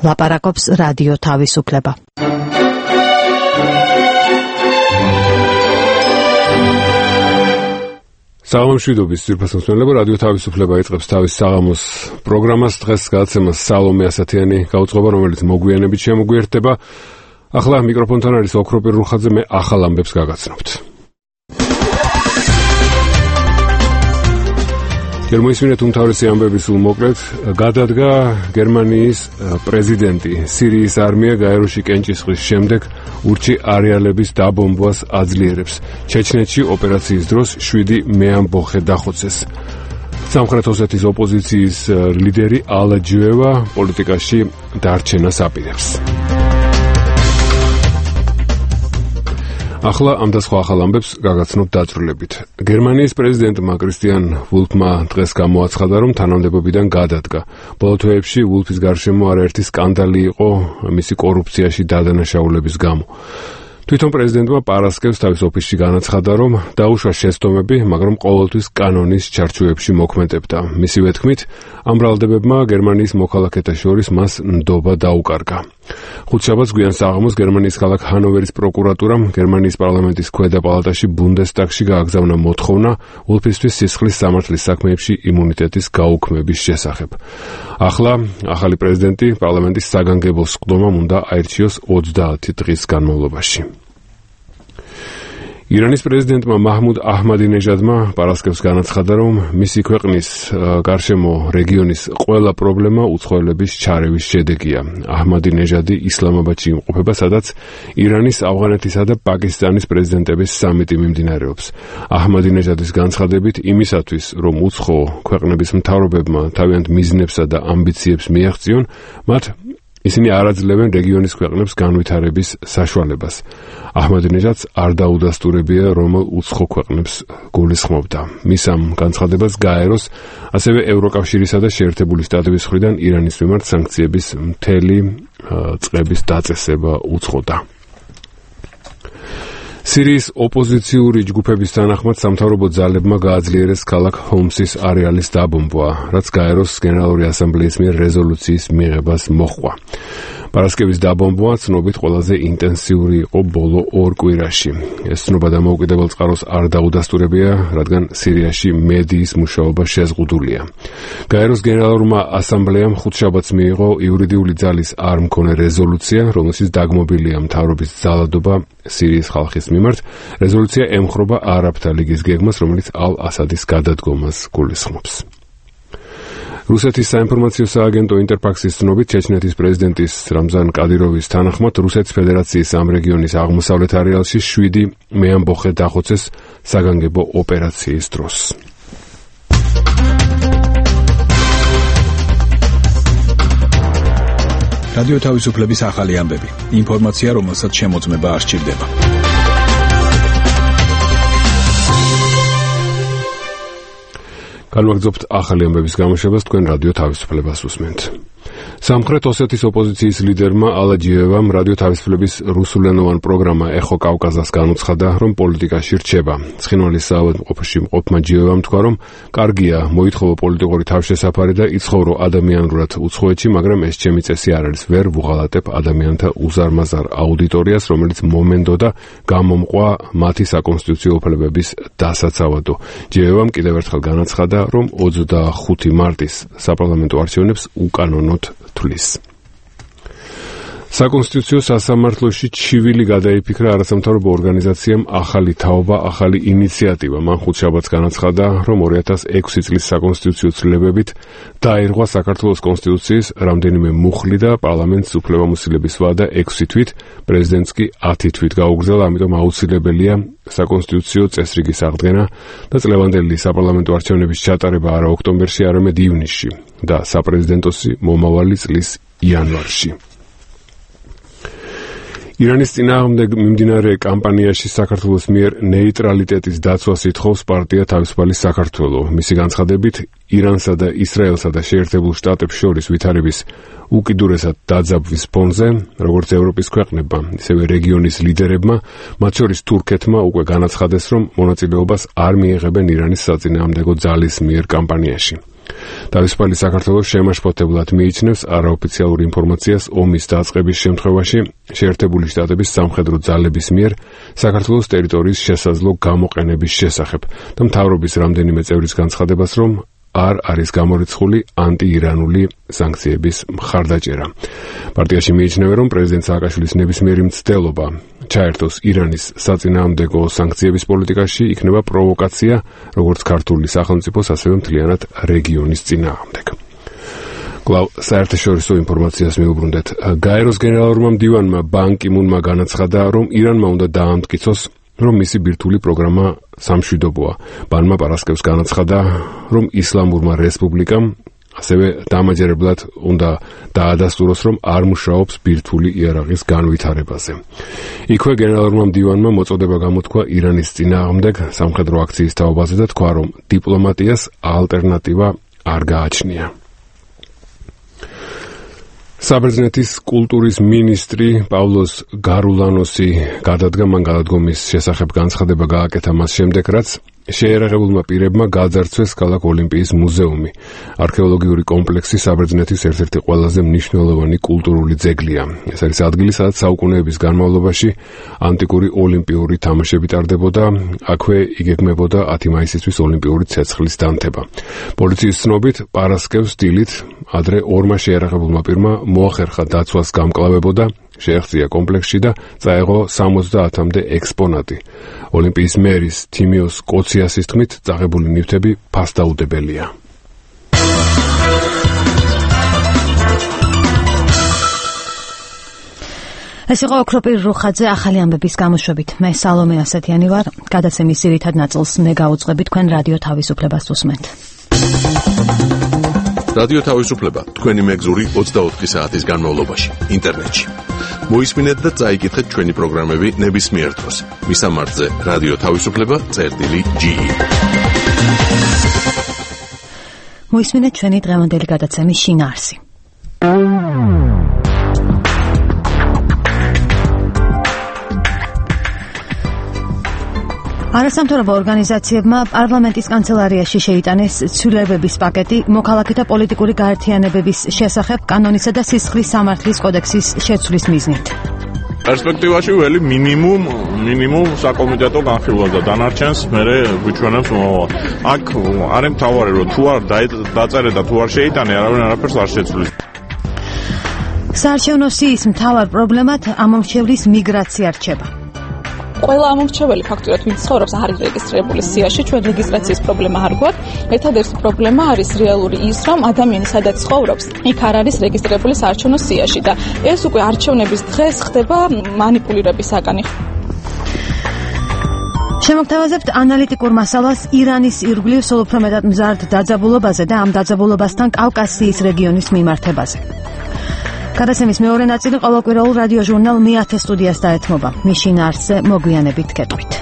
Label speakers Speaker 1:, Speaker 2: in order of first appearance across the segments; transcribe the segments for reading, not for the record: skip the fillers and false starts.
Speaker 1: ლაპარაკობს რადიო თავისუფლება.
Speaker 2: საღამომშვიდობის ძირფასმსმელებო, რადიო თავისუფლება იწყებს თავის საღამოს პროგრამას. დღეს გადაცემას სალომე ასათიანი გაუძღობა, რომელიც მოგვიანებით შემოგვიერთდება. ახლა მიკროფონთან არის ოქროპირ რუხაძე, მე ახალ ამბებს გაგაცნობთ. გერმანიის უმთავრესი ამბები სულ მოკლედ. გადადგა გერმანიის პრეზიდენტი. სირიის არმია გაეროში კენჭისყრის შემდეგ ურჩი არეალების დაბომბვას აძლიერებს. ჩეჩნეთში ოპერაციის დროს 7 მეამბოხე დახოცეს. სამხრეთ ოსეთის ოპოზიციის ლიდერი ალაჯუევა პოლიტიკაში დარჩენას აპირებს. ახლა ამ და სხვა ახალ ამბებს გაგაცნობ დაწვრილებით. გერმანიის პრეზიდენტმა კრისტიან ვულფმა დღეს გამოაცხადა, რომ თანამდებობიდან გადადგა. ბოლო თვეებში ვულფის გარშემო არაერთი სკანდალი იყო მისი კორუფციაში დადანაშაულების გამო. თვითონ პრეზიდენტმა პარასკევს თავის ოფისში განაცხადა, რომ დაუშვა შეცდომები, მაგრამ ყოველთვის კანონის ჩარჩოებში მოქმედებდა. მისივე თქმით, ამ ბრალდებებმა გერმანიის მოქალაქეთა შორის მას ნდობა დაუკარგა. ხუთშაბათს გვიან საღამოს გერმანიის ქალაქ ჰანოვერის პროკურატურამ გერმანიის პარლამენტის ქვედა პალატაში ბუნდესტაგში გააგზავნა მოთხოვნა ვულფისთვის სისხლის სამართლის საქმეებში იმუნიტეტის გაუქმების შესახებ. ახლა ახალი პრეზიდენტი პარლამენტის საგანგებო სხდომამ უნდა აირჩიოს 30 დღის განმავლობაში. ირანის პრეზიდენტმა მაჰმუდ აჰმადინეჟადმა პარასკევს განაცხადა, რომ მისი ქვეყნის გარშემო რეგიონის ყველა პრობლემა უცხოელების ჩარევის შედეგია. აჰმადინეჟადი ისლამაბადში იმყოფება, სადაც ირანის, ავღანეთისა და პაკისტანის პრეზიდენტების სამიტი მიმდინარეობს. აჰმადინეჟადის განცხადებით, იმისათვის, რომ უცხო ქვეყნების მთავრობებმა თავიანთ მიზნებსა და ამბიციებს მიაღწიონ, მათ ისინი არ აძლევენ რეგიონის ქვეყნებს განვითარების საშუალებას. აჰმადინეჟადს არ დაუდასტურებია, რომელ უცხო ქვეყნებს გულისხმობდა. მის ამ განცხადებას გაეროს, ასევე ევროკავშირისა და შეერთებული შტატების მხრიდან ირანის მიმართ სანქციების მთელი წლების დაწესება უწყოდა. სირიის ოპოზიციური ჯგუფების თანახმად სამთავრობო ძალებმა გააძლიერეს ქალაქ ჰომსის არეალის დაბომბვა, რაც გაეროს გენერალური ასამბლეის მიერ რეზოლუციის მიღებას მოჰყვა. პარასკევის დაბომბვა ცნობით ყველაზე ინტენსიური იყო ბოლო 2 კვირაში. ეს ცნობა დამოუკიდებელ წყაროს არ დაუდასტურებია, რადგან სირიაში მედიის მუშაობა შეზღუდულია. გაეროს გენერალურმა ასამბლეამ ხუთშაბათს მიიღო იურიდიული ძალის არ მქონე რეზოლუცია, რომელშიც დაგმობილია მთავრობის ძალადობა სირიის ხალხის მიმართ. რეზოლუცია ემხრობა არაბთა ლიგის გეგმას, რომელიც ალ-ასადის გადადგომას გულისხმობს. რუსეთის საინფორმაციო სააგენტო ინტერფაქსის ცნობით ჩეჩნეთის პრეზიდენტის რამზან კადიროვის თანახმად რუსეთის ფედერაციის ამ რეგიონის აღმოსავლეთ არეალში 7 მეამბოხე დახოცეს საგანგებო ოპერაციის დროს.
Speaker 3: რადიო თავისუფლების ახალი ამბები. ინფორმაცია, რომელსაც შემოწმება არ სჭირდება.
Speaker 2: განვაგრძობთ ახალი ამბების გამოშვებას, თქვენ რადიო თავისუფლებას უსმენთ. სამხრეთ ოსეთის ოპოზიციის ლიდერმა ალაჯიევამ რადიო თავისუფლების რუსულენოვან პროგრამა ეხო კავკაზას განუცხადა, რომ პოლიტიკაში რჩება. ცხინვალის საავადმყოფოში მყოფმა ჯიევამ თქვა, რომ კარგია მოითხოვო პოლიტიკური თავშესაფარი და იცხოვრო ადამიანურად უცხოეთში, მაგრამ ეს ჩემი წესი არ არის. ვერ ვუღალატებ ადამიანთა უზარმაზარ აუდიტორიას, რომელიც მომენდო და გამომყვა მათი საკონსტიტუციო უფლებების დასაცავადო. ჯიევამ კიდევ ერთხელ განაცხადა, რომ 25 მარტის საპარლამენტო არჩევნებს უკანონოდ თulis. საკონსტიტუციო სასამართლოში ჩივილი გადაიფიქრა არასამთავრობო ორგანიზაციამ ახალი თაობა, ახალი ინიციატივა. მან ხუთშაბათს განაცხადა, რომ 2006 წლის საკონსტიტუციო ცვლილებებით დაირღვა საქართველოს კონსტიტუციის რამდენიმე მუხლი და პარლამენტს უფლებამოსილების ვადა 6 თვით, პრეზიდენტს კი 10 თვით გაუგრძელა, ამიტომ აუცილებელია საკონსტიტუციო წესრიგის აღდგენა და წლევანდელი საპარლამენტო არჩევნების ჩატარება არა ოქტომბერში, არამედ ივნისში და საპრეზიდენტოსი მომავალი წლის იანვარში. ირანის წინააღმდეგ მიმდინარე კამპანიაში საქართველოს მიერ ნეიტრალიტეტის დაცვას ითხოვს პარტია თავისუფალი საქართველო. მისი განცხადებით, ირანსა და ისრაელსა და შეერთებულ შტატებს შორის ვითარების უკიდურესად დაძაბვის ფონზე, როგორც ევროპის ქვეყნებმა, ისევე რეგიონის ლიდერებმა, მათ შორის თურქეთმა უკვე განაცხადეს, რომ მონაწილეობას არ მიიღებენ ირანის საწინააღმდეგო ძალის მიერ კამპანიაში. თავისუფალი საქართველოს შემაშფოთებლად მიიჩნევს არაოფიციალურ ინფორმაციას ომის დაწყების შემთხვევაში შეერთებული შტატების სამხედრო ძალების მიერ საქართველოს ტერიტორიის შესაძლო გამოყენების შესახებ და მთავრობის რამდენიმე წევრის განცხადებას, რომ არ არის გამორიცხული ანტიირანული სანქციების მხარდაჭერა. პარტიაში მიიჩნევენ, რომ პრეზიდენტ სააკაშვილის ნებისმიერი მცდელობა ჩაერთოს ირანის საწინააღმდეგო სანქციების პოლიტიკაში იქნება პროვოკაცია როგორც ქართული სახელმწიფოს, ასევე მთლიანად რეგიონის წინააღმდეგ. კვლავ საერთაშორისო ინფორმაციას მივუბრუნდეთ. გაეროს გენერალურმა მდივანმა ბან კი მუნმა განაცხადა, რომ ირანმა უნდა დაამტკიცოს, რომ მისი ბირთვული პროგრამა სამშვიდობოა. ბანმა პარასკევს განაცხადა, რომ ისლამურმა რესპუბლიკამ ასევე დამაჯერებლად უნდა დაადასტუროს, რომ არ მუშაობს ბირთვული იარაღის განვითარებაზე. იქვე გენერალურმა მდივანმა მოწოდება გამოთქვა ირანის წინააღმდეგ სამხედრო აქციის თაობაზე და თქვა, რომ დიპლომატიას ალტერნატივა არ გააჩნია. საბერძნეთის კულტურის მინისტრი პავლოს გარულანოსი გადადგა, მან გადადგომის შესახებ განცხადება გააკეთა მას შემდეგ, რაც შეიარაღებულმა პირებმა გააძარცვეს ქალაქ ოლიმპიის მუზეუმი. არქეოლოგიური კომპლექსი საბერძნეთის ერთ-ერთი ყველაზე მნიშვნელოვანი კულტურული ძეგლია. ეს არის ადგილი, სადაც საუკუნეების განმავლობაში ანტიკური ოლიმპიური თამაშები ტარდებოდა, აქვე იგეგმებოდა 10 მაისისთვის ოლიმპიური ცეცხლის დანთება. პოლიციის ცნობით, პარასკევს დილით ადრე ორმა შეიარაღებულმა პირმა მოახერხა დაცვას გამკლავებოდა, შეაღწია კომპლექსში და წაეღო 70-მდე ექსპონატი. ოლიმპიის მერის თიმიოს კოციასის თქმით, წაღებული ნივთები ფასდაუდებელია.
Speaker 1: ეს იყო ოქროპირ რუხაძე ახალი ამბების გამოშვებით. მე სალომე ასეთიანი ვარ. გადაცემის ძირითად ნაწილს მე გავუძღვები, თქვენ რადიო თავისუფლებას უსმენთ.
Speaker 4: რადიო თავისუფლება თქვენი მეგზური 24 საათის განმავლობაში ინტერნეტში. მოისმინეთ და წაიკითხეთ ჩვენი პროგრამები ნებისმიერ დროს. მისამართზე რადიო თავისუფლება.ge.
Speaker 1: მოისმინეთ ჩვენი დღევანდელი გადაცემის შინაარსი. არასამთავრობო ორგანიზაციებმა პარლამენტის კანცელარიაში შეიტანეს ცვლილებების პაკეტი მოქალაქეთა პოლიტიკური გაერთიანებების შესახებ კანონისა და სისხლის სამართლის კოდექსის შეცვლის მიზნით.
Speaker 5: პერსპექტივაში ველი მინიმუმ საკომიტეტო განხილვა და დანარჩენს მერე გვიჩვენებს მომავალ. აქ არის მთავარი, რომ თუ არ დაწერე და თუ არ შეიტანე, არავინ არაფერს არ შეცვლის.
Speaker 1: საარჩევნო სიის მთავარ პრობლემად ამომრჩევლის მიგრაცია რჩება.
Speaker 6: ყველა ამომრჩეველი ფაქტურად ვინც ცხოვრობს არ არის რეგისტრირებული სიაში, ჩვენ რეგისტრაციის პრობლემა არ გვაქვს. ერთადერთი პრობლემა არის რეალური ის, რომ ადამიანი სადაც ცხოვრობს, იქ არ არის რეგისტრირებული საარჩევნო სიაში და ეს უკვე არჩევნების დღეს ხდება манипулირების საკანი.
Speaker 1: შემოგთავაზებთ ანალიტიკურ მასალას ირანის ირგვლივ სულ უფრო მეტად მზარდ დაძაბულობაზე და ამ დაძაბულობასთან კავკასიის რეგიონის მიმართებაზე. გადაცემის მეორე ნაწილი ყოველკვირეულ რადიო ჟურნალ მე-10 სტუდიას დაეთმობა. მის შინაარსზე მოგვიანებით გეტყვით.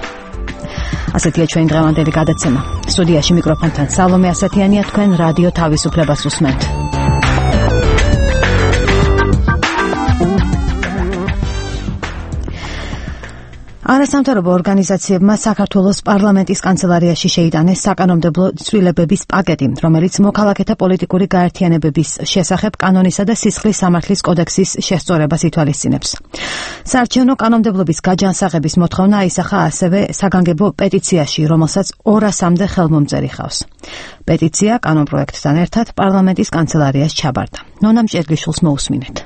Speaker 1: ასეთია ჩვენი დღევანდელი გადაცემა. სტუდიაში მიკროფონთან სალომე ასათიანია, თქვენ რადიო თავისუფლებას უსმენთ. არასამთავრობო ორგანიზაციებმა საქართველოს პარლამენტის კანცელარიაში შეიტანეს საკანონმდებლო ცვლილებების პაკეტი, რომელიც მოქალაქეთა პოლიტიკური გაერთიანებების შესახებ კანონისა და სისხლის სამართლის კოდექსის შესწორებას ითვალისწინებს. საარჩევნო კანონმდებლობის გაჯანსაღების მოთხოვნა აისახა ასევე საგანგებო პეტიციაში, რომელსაც 200-მდე ხელმომწერი ჰყავს. პეტიცია კანონპროექტთან ერთად პარლამენტის კანცელარიას ჩაბარდა. ნონა მჭერგიშვილს მოусმინეთ.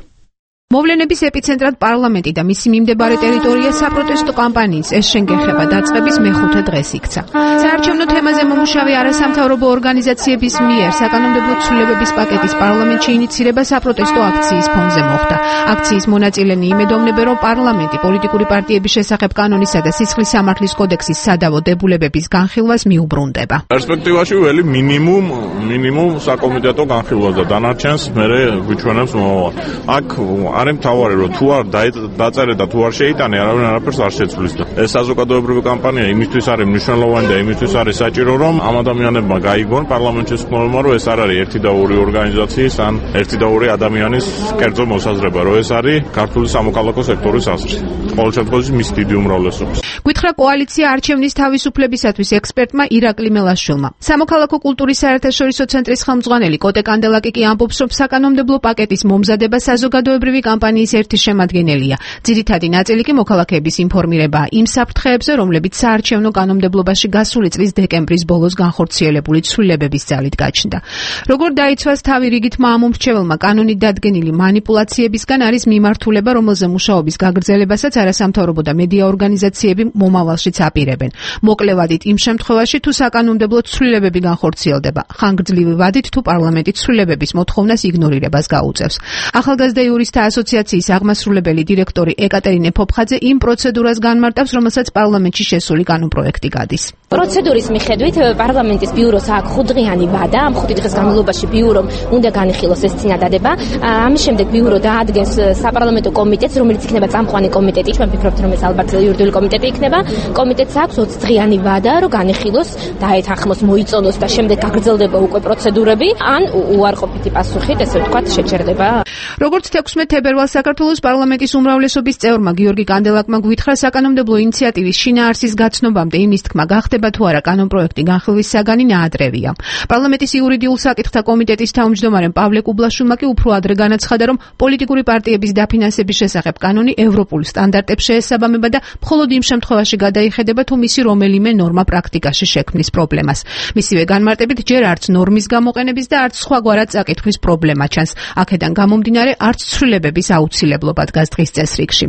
Speaker 7: მოვლენების ეპიცენტრად პარლამენტი და მისი მიმდებარე ტერიტორია საპროტესტო კამპანიის ეს შენგეხება დაწყების მეხუთე დღეს იქცა. საარჩევნო თემაზე მომუშავე არასამთავრობო ორგანიზაციების მიერ საკანონმდებლო ცვლილებების პაკეტის პარლამენტში ინიცირება საპროტესტო აქციის ფონზე მოხდა. აქციის მონაწილენი იმედოვნებენ, რომ პარლამენტი პოლიტიკური პარტიების შესახებ კანონისა და სისხლის სამართლის კოდექსის სადავო დებულების განხილვას მიუბრუნდება.
Speaker 5: პერსპექტივაში ველი მინიმუმ საკომიტეტო განხილვა და დანარჩენს მერე გვიჩვენებს მომავალ. აქ არის მთავარი, რომ თუ არ დაწერე და თუ არ შეიტანე, არავინ არაფერს არ შეცვლის და ეს საზოგადოებრივი კამპანია იმისთვის არის მნიშვნელოვანი და იმისთვის არის საჭირო, რომ ამ ადამიანებმა გაიგონ პარლამენტში ხმოვანმა, რომ ეს არ არის ერთი და ორი ორგანიზაციის ან ერთი და ორი ადამიანის კერძო მოსაზრება, რომ ეს არის ქართული სამოქალაქო სექტორის აზრი. ყოველ შემთხვევაში მის დიდი უმრავლესობის.
Speaker 7: გითხრა კოალიცია არჩევნის თავისუფლებისათვის ექსპერტმა ირაკლი მელაშვილმა. სამოქალაქო კულტურის საერთაშორისო ცენტრის ხელმძღვანელი კოტე კანდელაკი კი ამბობს, რომ საკანონმდებლო პაკეტის მომზადება საზოგადოებრივი კამპანიის ერთი შემადგენელია. ძირითადი ნაწილი კი მოქალაქეების ინფორმირებაა იმ საფრთხეებზე, რომლებიც საარჩევნო კანონმდებლობაში გასული წლის დეკემბრის ბოლოს განხორციელებული ცვლილებების ძალით გაჩნდა. როგორ დაიცვას თავი რიგითმა ამ მომრჩეველმა კანონით დადგენილი манипуляციებისგან არის მიმართულება, რომელზე მუშაობის გაგრძელებასაც არასამთავრობო და მედია ორგანიზაციები მომავალშიც აპირებენ. მოკლე ვადით იმ შემთხვევაში, თუ საკანონმდებლო ცვლილებები განხორციელდება, ხანგრძლივი ვადით თუ პარლამენტი ცვლილებების მოთხოვნას იგნორირებას გაუწევს. ახალგაზრდა იურისტთა ასოციაციის აღმასრულებელი დირექტორი ეკატერინე ფოფხაძე იმ პროცედურას განმარტავს, რომელსაც პარლამენტში შესული კანონპროექტი გადის.
Speaker 8: პროცედურის მიხედვით პარლამენტის ბიუროს აქვს 5 დღიანი ვადა. ამ 5 დღის განმავლობაში ბიურომ უნდა განიხილოს ეს წინადადება. ამის შემდეგ ბიურო დაადგენს საპარლამენტო კომიტეტს, რომელიც იქნება წამყვანი კომიტეტი. ჩვენ ვფიქრობთ, რომ ეს ალბათ იურიდიული კომიტეტი იქნება. კომიტეტს აქვს 20 დღიანი ვადა, რომ განიხილოს, დაეთანხმოს, მოიწონოს და შემდეგ გაგრძელდება უკვე პროცედურები, ან უარყოფითი პასუხით, ესე ვთქვათ, შეჩერდება.
Speaker 7: როგორც 16 თებერვალს საქართველოს პარლამენტის უმრავლესობის წევრმა გიორგი კანდელაკმა გვითხრა, საკანონმდებლო ინიციატივის შინაარსის გაცნობამდე იმის თქმა გახდება თუ არა კანონპროექტი განხილვის საგანი ნაადრევია. პარლამენტის იურიდიულ საკითხთა კომიტეტის თავმჯდომარემ პავლე კუბლაშვილმა კი უფრო ადრე განაცხადა, რომ პოლიტიკური პარტიების დაფინანსების შესახებ კანონი ევროპულ სტანდარტებს შეესაბამება და მხოლოდ იმ შემთხვევაში გადაიხედება, თუ მისი რომელიმე ნორმა პრაქტიკაში შექმნის პრობლემას. მისივე განმარტებით, ჯერ არც ნორმის გამოყენების და არც სხვაგვარად წაკითხვის პრობლემა ჩანს. აქედან გამომდინარე, არც ცვლილებების აუცილებლობა დგას დღის წესრიგში.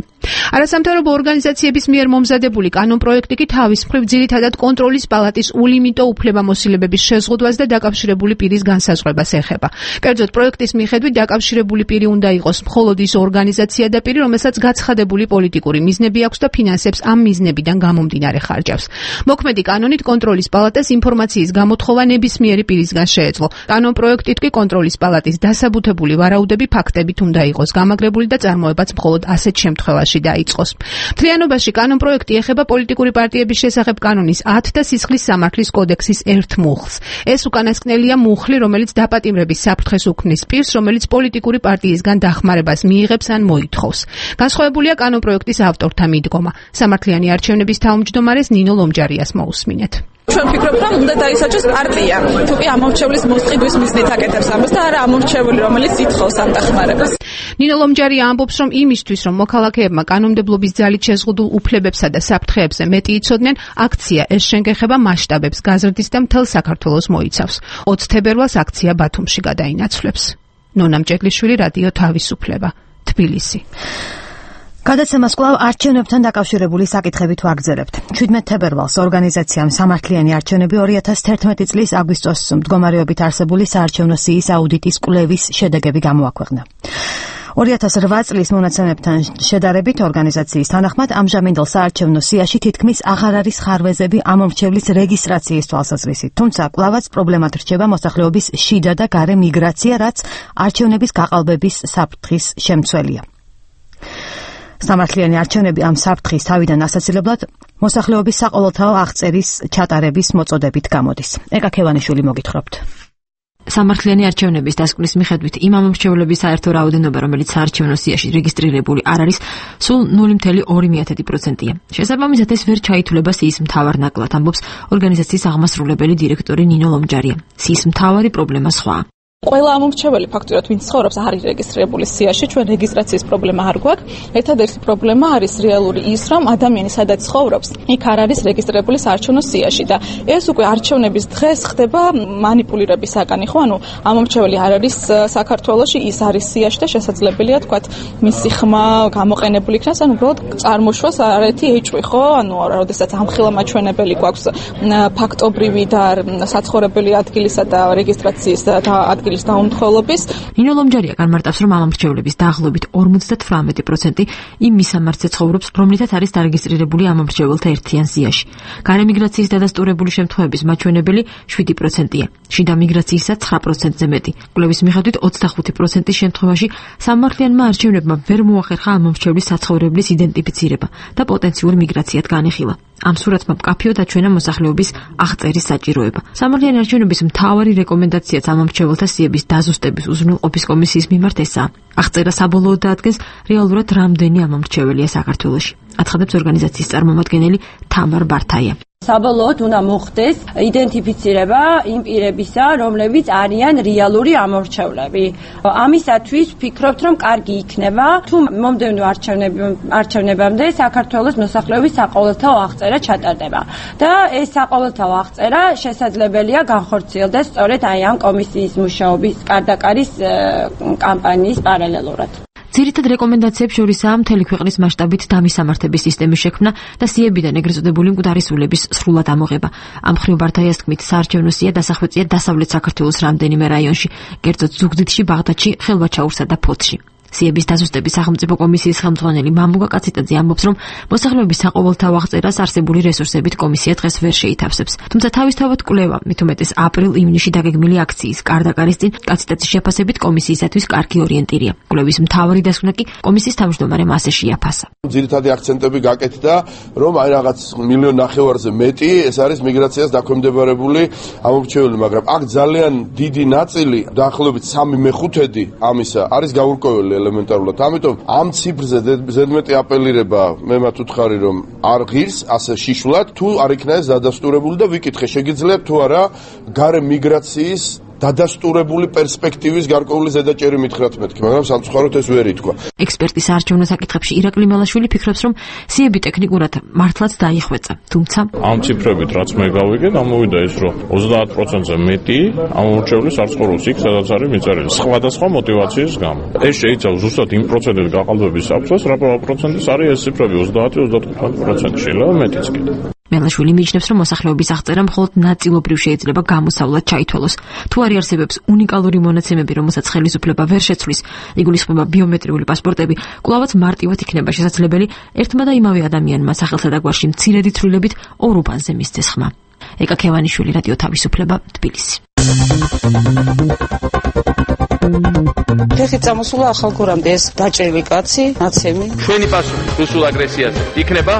Speaker 7: არასამთავრობო ორგანიზაციების მიერ მომზადებული კანონპროექტი კი თავის მხრივ ძირითადად კონტროლის პალატის ულიმიტო უფლებამოსილებების შეზღუდვას და დაკავშირებული პირის განსაზღვრებას ეხება. კერძოდ, პროექტის მიხედვით დაკავშირებული პირი უნდა იყოს მხოლოდ ის ორგანიზაცია და პირი, რომელსაც გაცხადებული პოლიტიკური მიზნები აქვს და ფინანსებს ამ მიზნებიდან გამომდინარე ხარჯავს. მოქმედი კანონით კონტროლის პალატას ინფორმაციის გამოთხოვა ნებისმიერი პირისგან შეეძლო. კანონპროექტით კი კონტროლის პალატის დასაბუთებული ვარაუდები ფაქტებით უნდა იყოს გამაგრებული და წარმოებაც მხოლოდ ასეთ შემთხვევაში დაიწყოს. მთლიანობაში კანონპროექტი ეხება პოლიტიკური პარტიების შესახებ კანონის 10 და სისხლის სამართლის კოდექსის 1 მუხლს. ეს უკანასკნელია მუხლი, რომელიც დაპატიმრების საფრთხეს უქმნის პირს, რომელიც პოლიტიკური პარტიისგან დახმარებას მიიღებს ან მოითხოვს. განსხვავებულია კანონპროექტის ავტორთა მიდგომა. სამართლიანი არჩევნების თავმჯდომარეს ნინო ლომჯარიას მოусმინეთ.
Speaker 6: ჩვენ ვფიქრობთ, რომ უნდა დაისაჯოს პარტია, თუ კი ამორჩევლის მოსყიდვის მიზნით აკეთებს ამას და არა ამორჩეული, რომელიც ითხოვს ამ დახმარებას.
Speaker 7: ნინო ლომჯარია ამბობს, რომ იმისთვის, რომ მოქალაქეებმა კანონმდებლობის ძალით შეზღუდულ უფლებებსა და საფრთხეებზე მეტი იცოდნენ, აქცია ეს შენგეხება მასშტაბებს გაზრდის და მთელ საქართველოს მოიცავს. 20 თებერვალს აქცია ბათუმში გადაინაცვლებს. ნონა მჭედლიშვილი, რადიო თავისუფლება, თბილისი.
Speaker 1: გადაცემას კვლავ არჩევნებთან დაკავშირებული საკითხებით ვაგრძელებთ. 17 თებერვალს ორგანიზაციამ სამართლიანი არჩევნები 2011 წლის აგვისტოს მდგომარეობით არსებული საარჩევნო სიის აუდიტის კვლევის შედეგები გამოაქვეყნა. 2008 წლის მონაცემებთან შედარებით ორგანიზაციის თანახმად ამჟამინდელ საარჩევნო სიაში თითქმის აღარ არის ხარვეზები ამომრჩევლის რეგისტრაციის თვალსაზრისით, თუმცა კვლავაც პრობლემად რჩება მოსახლეობის შიდა და გარე მიგრაცია, რაც არჩევნების გაყალბების საფრთხის შემცველია. სამართლიანი არჩევნები ამ საფრთხის თავიდან ასაცილებლად მოსახლეობის საყოველთაო აღწერის ჩატარების მოწოდებით გამოდის. ეკა ქევანიშვილი მოგითხრობთ.
Speaker 9: სამართლიანი არჩევნების დასკვნის მიხედვით იმ ამომრჩევლების საერთო რაოდენობა, რომელიც საარჩევნო სიაში რეგისტრირებული არ არის, სულ 0.2%-ია. შესაბამისად, ეს ვერ ჩაითვლება სიის მთავარ ნაკლად, ამბობს ორგანიზაციის აღმასრულებელი დირექტორი ნინო ლომჯარია. სიის მთავარი პრობლემა სხვაა.
Speaker 6: ყველა ამომრჩეველი ფაქტურად ვინც ცხოვრობს არ არის რეგისტრირებული სიაში, ჩვენ რეგისტრაციის პრობლემა არ გვაქვს. ერთადერთი პრობლემა არის რეალური ის, რომ ადამიანი სადაც ცხოვრობს, იქ არ არის რეგისტრირებული საარჩევნო სიაში და ეს უკვე არჩევნების დღეს ხდება манипуლირების საკანი, ხო? ანუ ამომრჩეველი არ არის საქართველოში, ის არის სიაში და შესაძლებელია თქვათ მისი ხმა გამოყენებული იქნას, ანუ უბრალოდ წარმოშვას არაერთი ეჭვი, ხო? ანუ როდესაც ამხილა მაჩვენებელი გვაქვს ფაქტობრივი და საცხოვრებელი ადგილისა და რეგისტრაციის ადგილის დაუმთხოვნლობის.
Speaker 9: ნინო ლომჯარია განმარტავს, რომ ამომრჩევლების დაახლოებით 58% იმ მისამართზე ცხოვრობს, რომლითაც არის დარეგისტრირებული ამომრჩეველთა ერთიან სიაში. გარე მიგრაციის დადასტურებული შემთხვევების მაჩვენებელი 7%-ია. შიდა მიგრაციისა 9%-ზე მეტი. კვლევის მიხედვით 25% შემთხვევაში სამართლიანმა არჩევნებმა ვერ მოახერხა ამომრჩევლის საცხოვრებლის იდენტიფიცირება და პოტენციურ მიგრაციად განიხილა. ამ სურათმა მკაფიოდ აჩვენა მოსახლეობის აღწერის საჭიროება. სამართლიანი არჩევნების მთავარი რეკომენდაციაც ამომრჩეველთა სიების დაზუსტების უზრუნველყოფის კომისიის მიმართ ესაა. აღწერა საბოლოოდ დაადგენს რეალურად რამდენი ამომრჩეველია საქართველოში. აცხადებს ორგანიზაციის წარმომადგენელი თამარ ბართაია.
Speaker 10: საბოლოოდ უნდა მოხდეს იდენტიფიცირება იმ პირებისა, რომლებიც არიან რეალური ამომრჩევლები. ამისათვის ვფიქრობთ, რომ კარგი იქნება, თუ მომდევნო არჩევნებამდე საქართველოს მოსახლეობის საყოველთაო აღწერა ჩატარდება. და ეს საყოველთაო აღწერა შესაძლებელია განხორციელდეს სწორედ აი ამ კომისიის მუშაობის კარდაკარის კამპანიის პარალელურად.
Speaker 9: ძირითად რეკომენდაციებს შორისაა მთელი ქვეყნის მასშტაბით დამისამართების სისტემის შექმნა და სიებიდან ეგრეთ წოდებული მკვდარი სულების სრულად ამოღება. ამ მხრივ ბართაიას თქმით, საარჩევნო სია დასახვეწია დასავლეთ საქართველოს რამდენიმე რაიონში, კერძოდ ზუგდიდში, ბაღდადში, ხელვაჩაურსა და ფოთში. სიების დაზუსტების სახელმწიფო კომისიის ხელმძღვანელი მამუგა კაციტაძე ამბობს, რომ მოსახლეობის საყოველთაო აღწერას არსებული რესურსებით კომისია დღეს ვერ შეითავსებს. თუმცა თავისთავად კვლევა, მით უმეტეს აპრილ-ივნისში დაგეგმილი აქციის კარდაკარის წინ კაციტაძის შეფასებით კომისიისათვის კარგი ორიენტირია. კვლევის მთავარი დასკვნა კი კომისიის თავმჯდომარემ ასე შეაფასა.
Speaker 11: ძირითადი აქცენტები გაკეთდა, რომ აი რაღაც 1.5 მილიონზე მეტი ეს არის მიგრაციას დაქვემდებარებული ამომრჩეველი, მაგრამ აქ ძალიან დიდი ნაწილი, დაახლოებით 3/5 ამისა არის გაურკვეველი ელემენტარულად. ამიტომ ამ ციფრზე ზედმეტი აპელირება მე მათ უთხარი, რომ არ ღირს ასე შიშულად, თუ არ იქნა ეს დადასტურებული და ვიკითხე, შეგიძლიათ თუ არა გარე მიგრაციის დადასტურებული პერსპექტივის გარკვეული ზედაჭერი მითხრათ მეთქი, მაგრამ სამწუხაროდ ეს ვერ ითქვა.
Speaker 9: ექსპერტის საარჩევნო საკითხებში ირაკლი მელაშვილი ფიქრობს, რომ სიები ტექნიკურად მართლაც დაიხვეწა, თუმცა
Speaker 5: ამ ციფრებით რაც მე გავიგე, გამოვიდა ის, რომ 30%-ზე მეტი ამომრჩევლის არ ცხოვრობს იქ, სადაც არის მიწერილი სხვადასხვა мотиваციის გამო. ეს შეიძლება ზუსტად იმ პროცენტით გაყალბების საფრთხეს, რა პროცენტის არის ეს ციფრები 30-35% შეიძლება მეტიც კიდე.
Speaker 9: მელაშვილი მიიჩნევს, რომ მოსახლეობის აღწერა მხოლოდ ნაწილობრივ შეიძლება გამოსავლად ჩაითვალოს. თუ არ არსებობს უნიკალური მონაცემები, რომელსაც ხელისუფლება ვერ შეცვლის, იგულისხმება ბიომეტრიული პასპორტები, კვლავაც მარტივად იქნება შესაძლებელი ერთმა და იმავე ადამიანმა სახელსა და გვარში მცირედი ცვლილებით ორ უბანზე მისცეს ხმა. ეკა ქევანიშვილი, რადიო თავისუფლება, თბილისი.
Speaker 12: ფეხი წამოსულა ახალგორამდე ეს დაჭრილი კაცი, ნაცემი.
Speaker 13: ჩვენი პასუხი რუსულ აგრესიაზე იქნება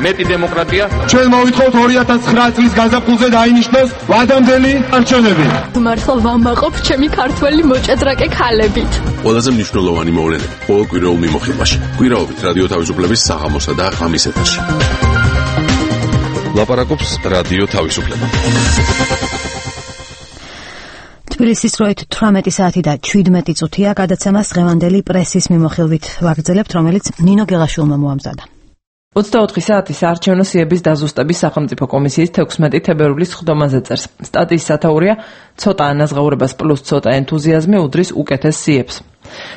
Speaker 13: მეტი დემოკრატია.
Speaker 14: ჩვენ მოვითხოვთ 2009 წლის გაზაფხულზე დაინიშნოს ვადამდელი არჩევნები.
Speaker 15: მართლა ვამაყობ ჩემი ქართველი მოჭადრაკე ქალებით.
Speaker 4: ყველაზე მნიშვნელოვანი მოვლენები ყოველ კვირაულ მიმოხილვაში. კვირაობით რადიო თავისუფლების საღამოსა და ღამის ეთერში. ლაპარაკობს რადიო თავისუფლება.
Speaker 1: თბილისის დროით 18 საათი და 17 წუთია. გადაცემას დღევანდელი პრესის მიმოხილვით ვაგრძელებთ, რომელიც ნინო გელაშვილმა მოამზადა.
Speaker 16: 24 საათის საარჩევნო სიების დაზუსტების სახელმწიფო კომისიის 16 თებერვლის სხდომაზე წერს. სტატიის სათაურია ცოტა ანაზღაურებას პლუს ცოტა ენთუზიაზმი უდრის უკეთეს სიებს.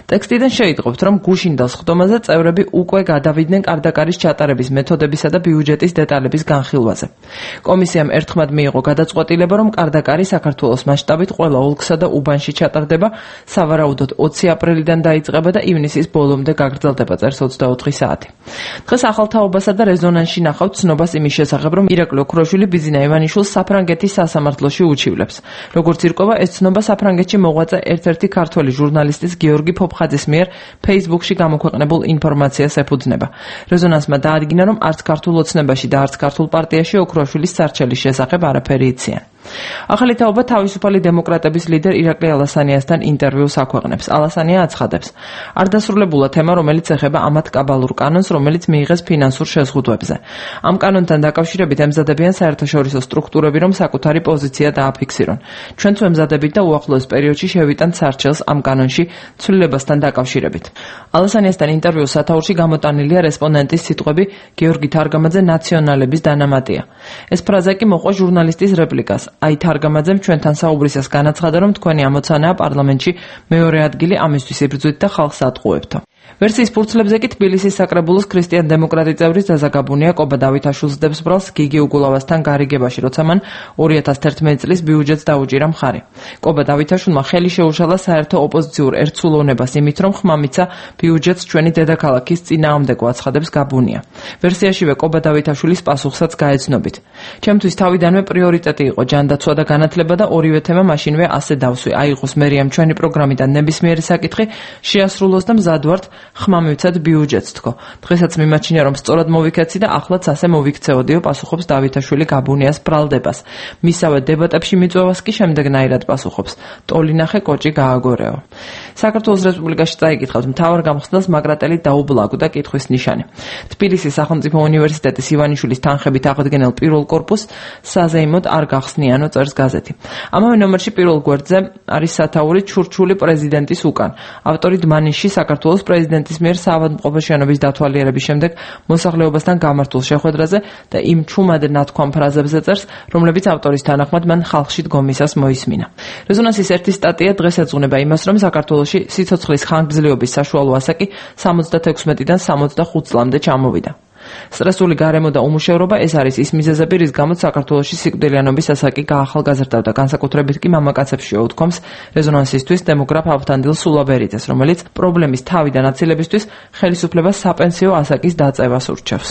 Speaker 16: ტექსტიდან შეიტყობთ, რომ გუშინდელ სხდომაზე წევრები უკვე გადავიდნენ კარდაკარის ჩატარების მეთოდებისა და ბიუჯეტის დეტალების განხილვაზე. კომისიამ ერთხმად მიიღო გადაწყვეტილება, რომ კარდაკარი საქართველოს მასშტაბით ყველა ოლქსა და უბანში ჩატარდება, სავარაუდოდ 20 აპრილიდან დაიწყება და ივნისის ბოლომდე გაგრძელდება, წერს 24 საათი. დღეს ახალთაობასა და რეზონანსში ნახავთ ცნობას იმის შესახებ, რომ ირაკლი ოქროშვილი ბიზინა ივანიშვილს საფრანგეთის სასამართლოში უჩივლებს. როგორც ირკვევა, ეს ცნობა საფრანგეთში მოღვაწე ერთ-ერთი ქართველი ჟურნალისტის გიორგი ფოფხაძის მიერ Facebook-ში გამოქვეყნებულ ინფორმაციას ეფუძნება. რეზონანსმა დაადგინა, რომ არც ქართულ ოცნებაში და არც ქართულ პარტიაში ოქროშვილის სარჩელის შესახებ არაფერი იციან. ახალი თაობა თავისუფალი დემოკრატების ლიდერ ირაკლი ალასანიასთან ინტერვიუს აქვეყნებს. ალასანია აცხადებს, არ დასრულებულა თემა, რომელიც ეხება ამათ კაბალურ კანონს, რომელიც მიიღეს ფინანსურ შეზღუდვებზე. ამ კანონთან დაკავშირებით ემზადებიან საერთაშორისო სტრუქტურები, რომ საკუთარი პოზიცია დააფიქსირონ. ჩვენც ემზადებით და უახლოეს პერიოდში შევიტანთ სარჩელს ამ კანონში ცვლილებასთან დაკავშირებით. ალასანიასთან ინტერვიუს სათაურში გამოტანილია რესპონდენტის სიტყვები გიორგი თარგამაძე ნაციონალების დანამატია. ეს ფრაზა კი მოყვა ჟურნალისტის რეპლიკას. აი თარგამაძემ ჩვენთან საუბრისას განაცხადა, რომ თქვენი ამოცანაა პარლამენტში მეორე ადგილი ამისთვის იბრძვით და ხალხს ატყუებთო. ვერსიის ფურცლებზე კი თბილისის საკრებულოს ქრისტიან-დემოკრატი წევრის ზაზაგაბუნია კობა დავითაშვილს დებს ბრალს გიგი უგულავასთან გარიგებაში, როცა მან 2011 წლის ბიუჯეტს დაუჭირა მხარი. კობა დავითაშვილმა ხელი შეუშალა საერთო ოპოზიციურ ერთსულოვნებას იმით, რომ ხმამიცა ბიუჯეტს ჩვენი დედაქალაქის წინააღმდეგო აცხადებს გაბუნია. ვერსიაშივე კობა დავითაშვილის პასუხსაც გაეცნობით. ჩემთვის თავიდანვე პრიორიტეტი იყო ჯანდაცვა და განათლება და ორივე თემა მაშინვე ასე დავსვი. აიღოს მერიამ ჩვენი პროგრამიდან ნებისმიერი საკითხი შეასრულოს და მზად ვართ ხმამივცად ბიუჯეტს თქო. დღესაც მიმაჩნია რომ სწორად მოვიქეცი და ახლაც ასე მოვიქცეოდიო, პასუხობს დავითაშვილი გაბუნიას ბრალდებას. მისავე დებატებში მიწვევას კი შემდეგნაირად პასუხობს. ტოლინახე კოჭი გააგორეო. საქართველოს რესპუბლიკაში წაიკითხავთ მთავარ გამხსნელს მაგრატელი დაუბლაგდა კითხვის ნიშანი. თბილისის სახელმწიფო უნივერსიტეტის ივანიშვილის თანხებით აღდგენილ პირველ კორპუსს საზეიმოდ არ გახსნიანო, წერს გაზეთი. ამავე ნომერში პირველ გვერდზე არის სათაური ჩურჩული პრეზიდენტის უკან. ავტორი დმანიში საქართველოს პრეზიდენტის მიერ საავადმყოფო შენობის დათვალიერების შემდეგ მოსახლეობასთან გამართულ შეხვედრაზე და იმ ჩუმად ნათქვამ ფრაზებზე წერს, რომლებიც ავტორის თანახმად მან ხალხში დგომისას მოისმინა. რეზონანსის ერთი სტატია დღეს ეძღვნება იმას, რომ საქართველოში სიცოცხლის ხანგრძლივობის საშუალო ასაკი 76-დან 65 წლამდე ჩამოვიდა. სტრესული გარემო და უმუშევრობა ეს არის ის მიზეზები, რის გამოც საქართველოში სიკვდილიანობის ასაკი გაახალგაზრდავდა. განსაკუთრებით კი მამაკაცებს შეუთქვამს რეზონანსისთვის დემოგრაფ ავთანდილ სულაბერიძეს, რომელიც პრობლემის თავიდან აცილებისთვის ხელისუფლებას საპენსიო ასაკის დაწევას ურჩევს.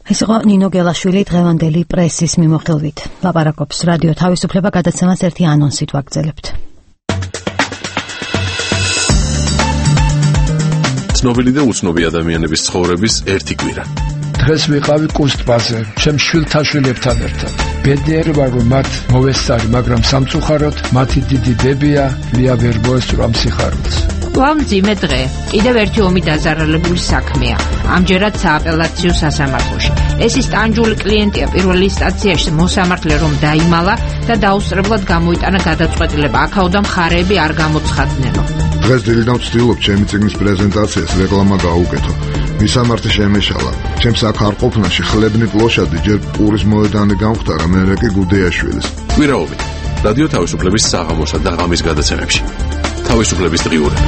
Speaker 1: ეს იყო ნინო გელაშვილი დღევანდელი პრესის მიმოხილვით. ლაპარაკობს რადიო თავისუფლება გადაცემას ერთი ანონსით ვაგრძელებთ.
Speaker 4: ცნობილი და უცნობი ადამიანების ცხოვრების ერთი კვირა.
Speaker 17: დღეს ვიყავი კუსტბაზე, ჩემ შვილთაშვილებთან ერთად. ბედნიერი ვარ, რომ მათ მოვესწარი, მაგრამ სამწუხაროდ მათი დიდი დებია ლია ვერ მოესწრო ამ სიხარულს.
Speaker 7: მძიმე დღე. კიდევ ერთი ომი დაზარალებული საქმეა. ამჯერად სააპელაციო სასამართლოში. ეს ის ტანჯული კლიენტია პირველი ინსტანციაში მოსამართლე რომ დაიმალა და დაუსწრებლად გამოიტანა გადაწყვეტილება. აქაოდან მხარეები არ გამოცხადნენო.
Speaker 18: დღეს დილიდან ვცდილობ ჩემი წიგნის პრეზენტაციას რეკლამა გაუკეთო. მისამართი შემეშალა. ჩემს აქ არ ყოფნაში ხლებნი პლოშადი ჯერ პურის მოედანი გამختარა, მერე კი გუდეაშვილის.
Speaker 4: კვირაობი. რადიო თავისუფლების საღამოსა და ღამის გადაცემებში. თავისუფლების დღიურები.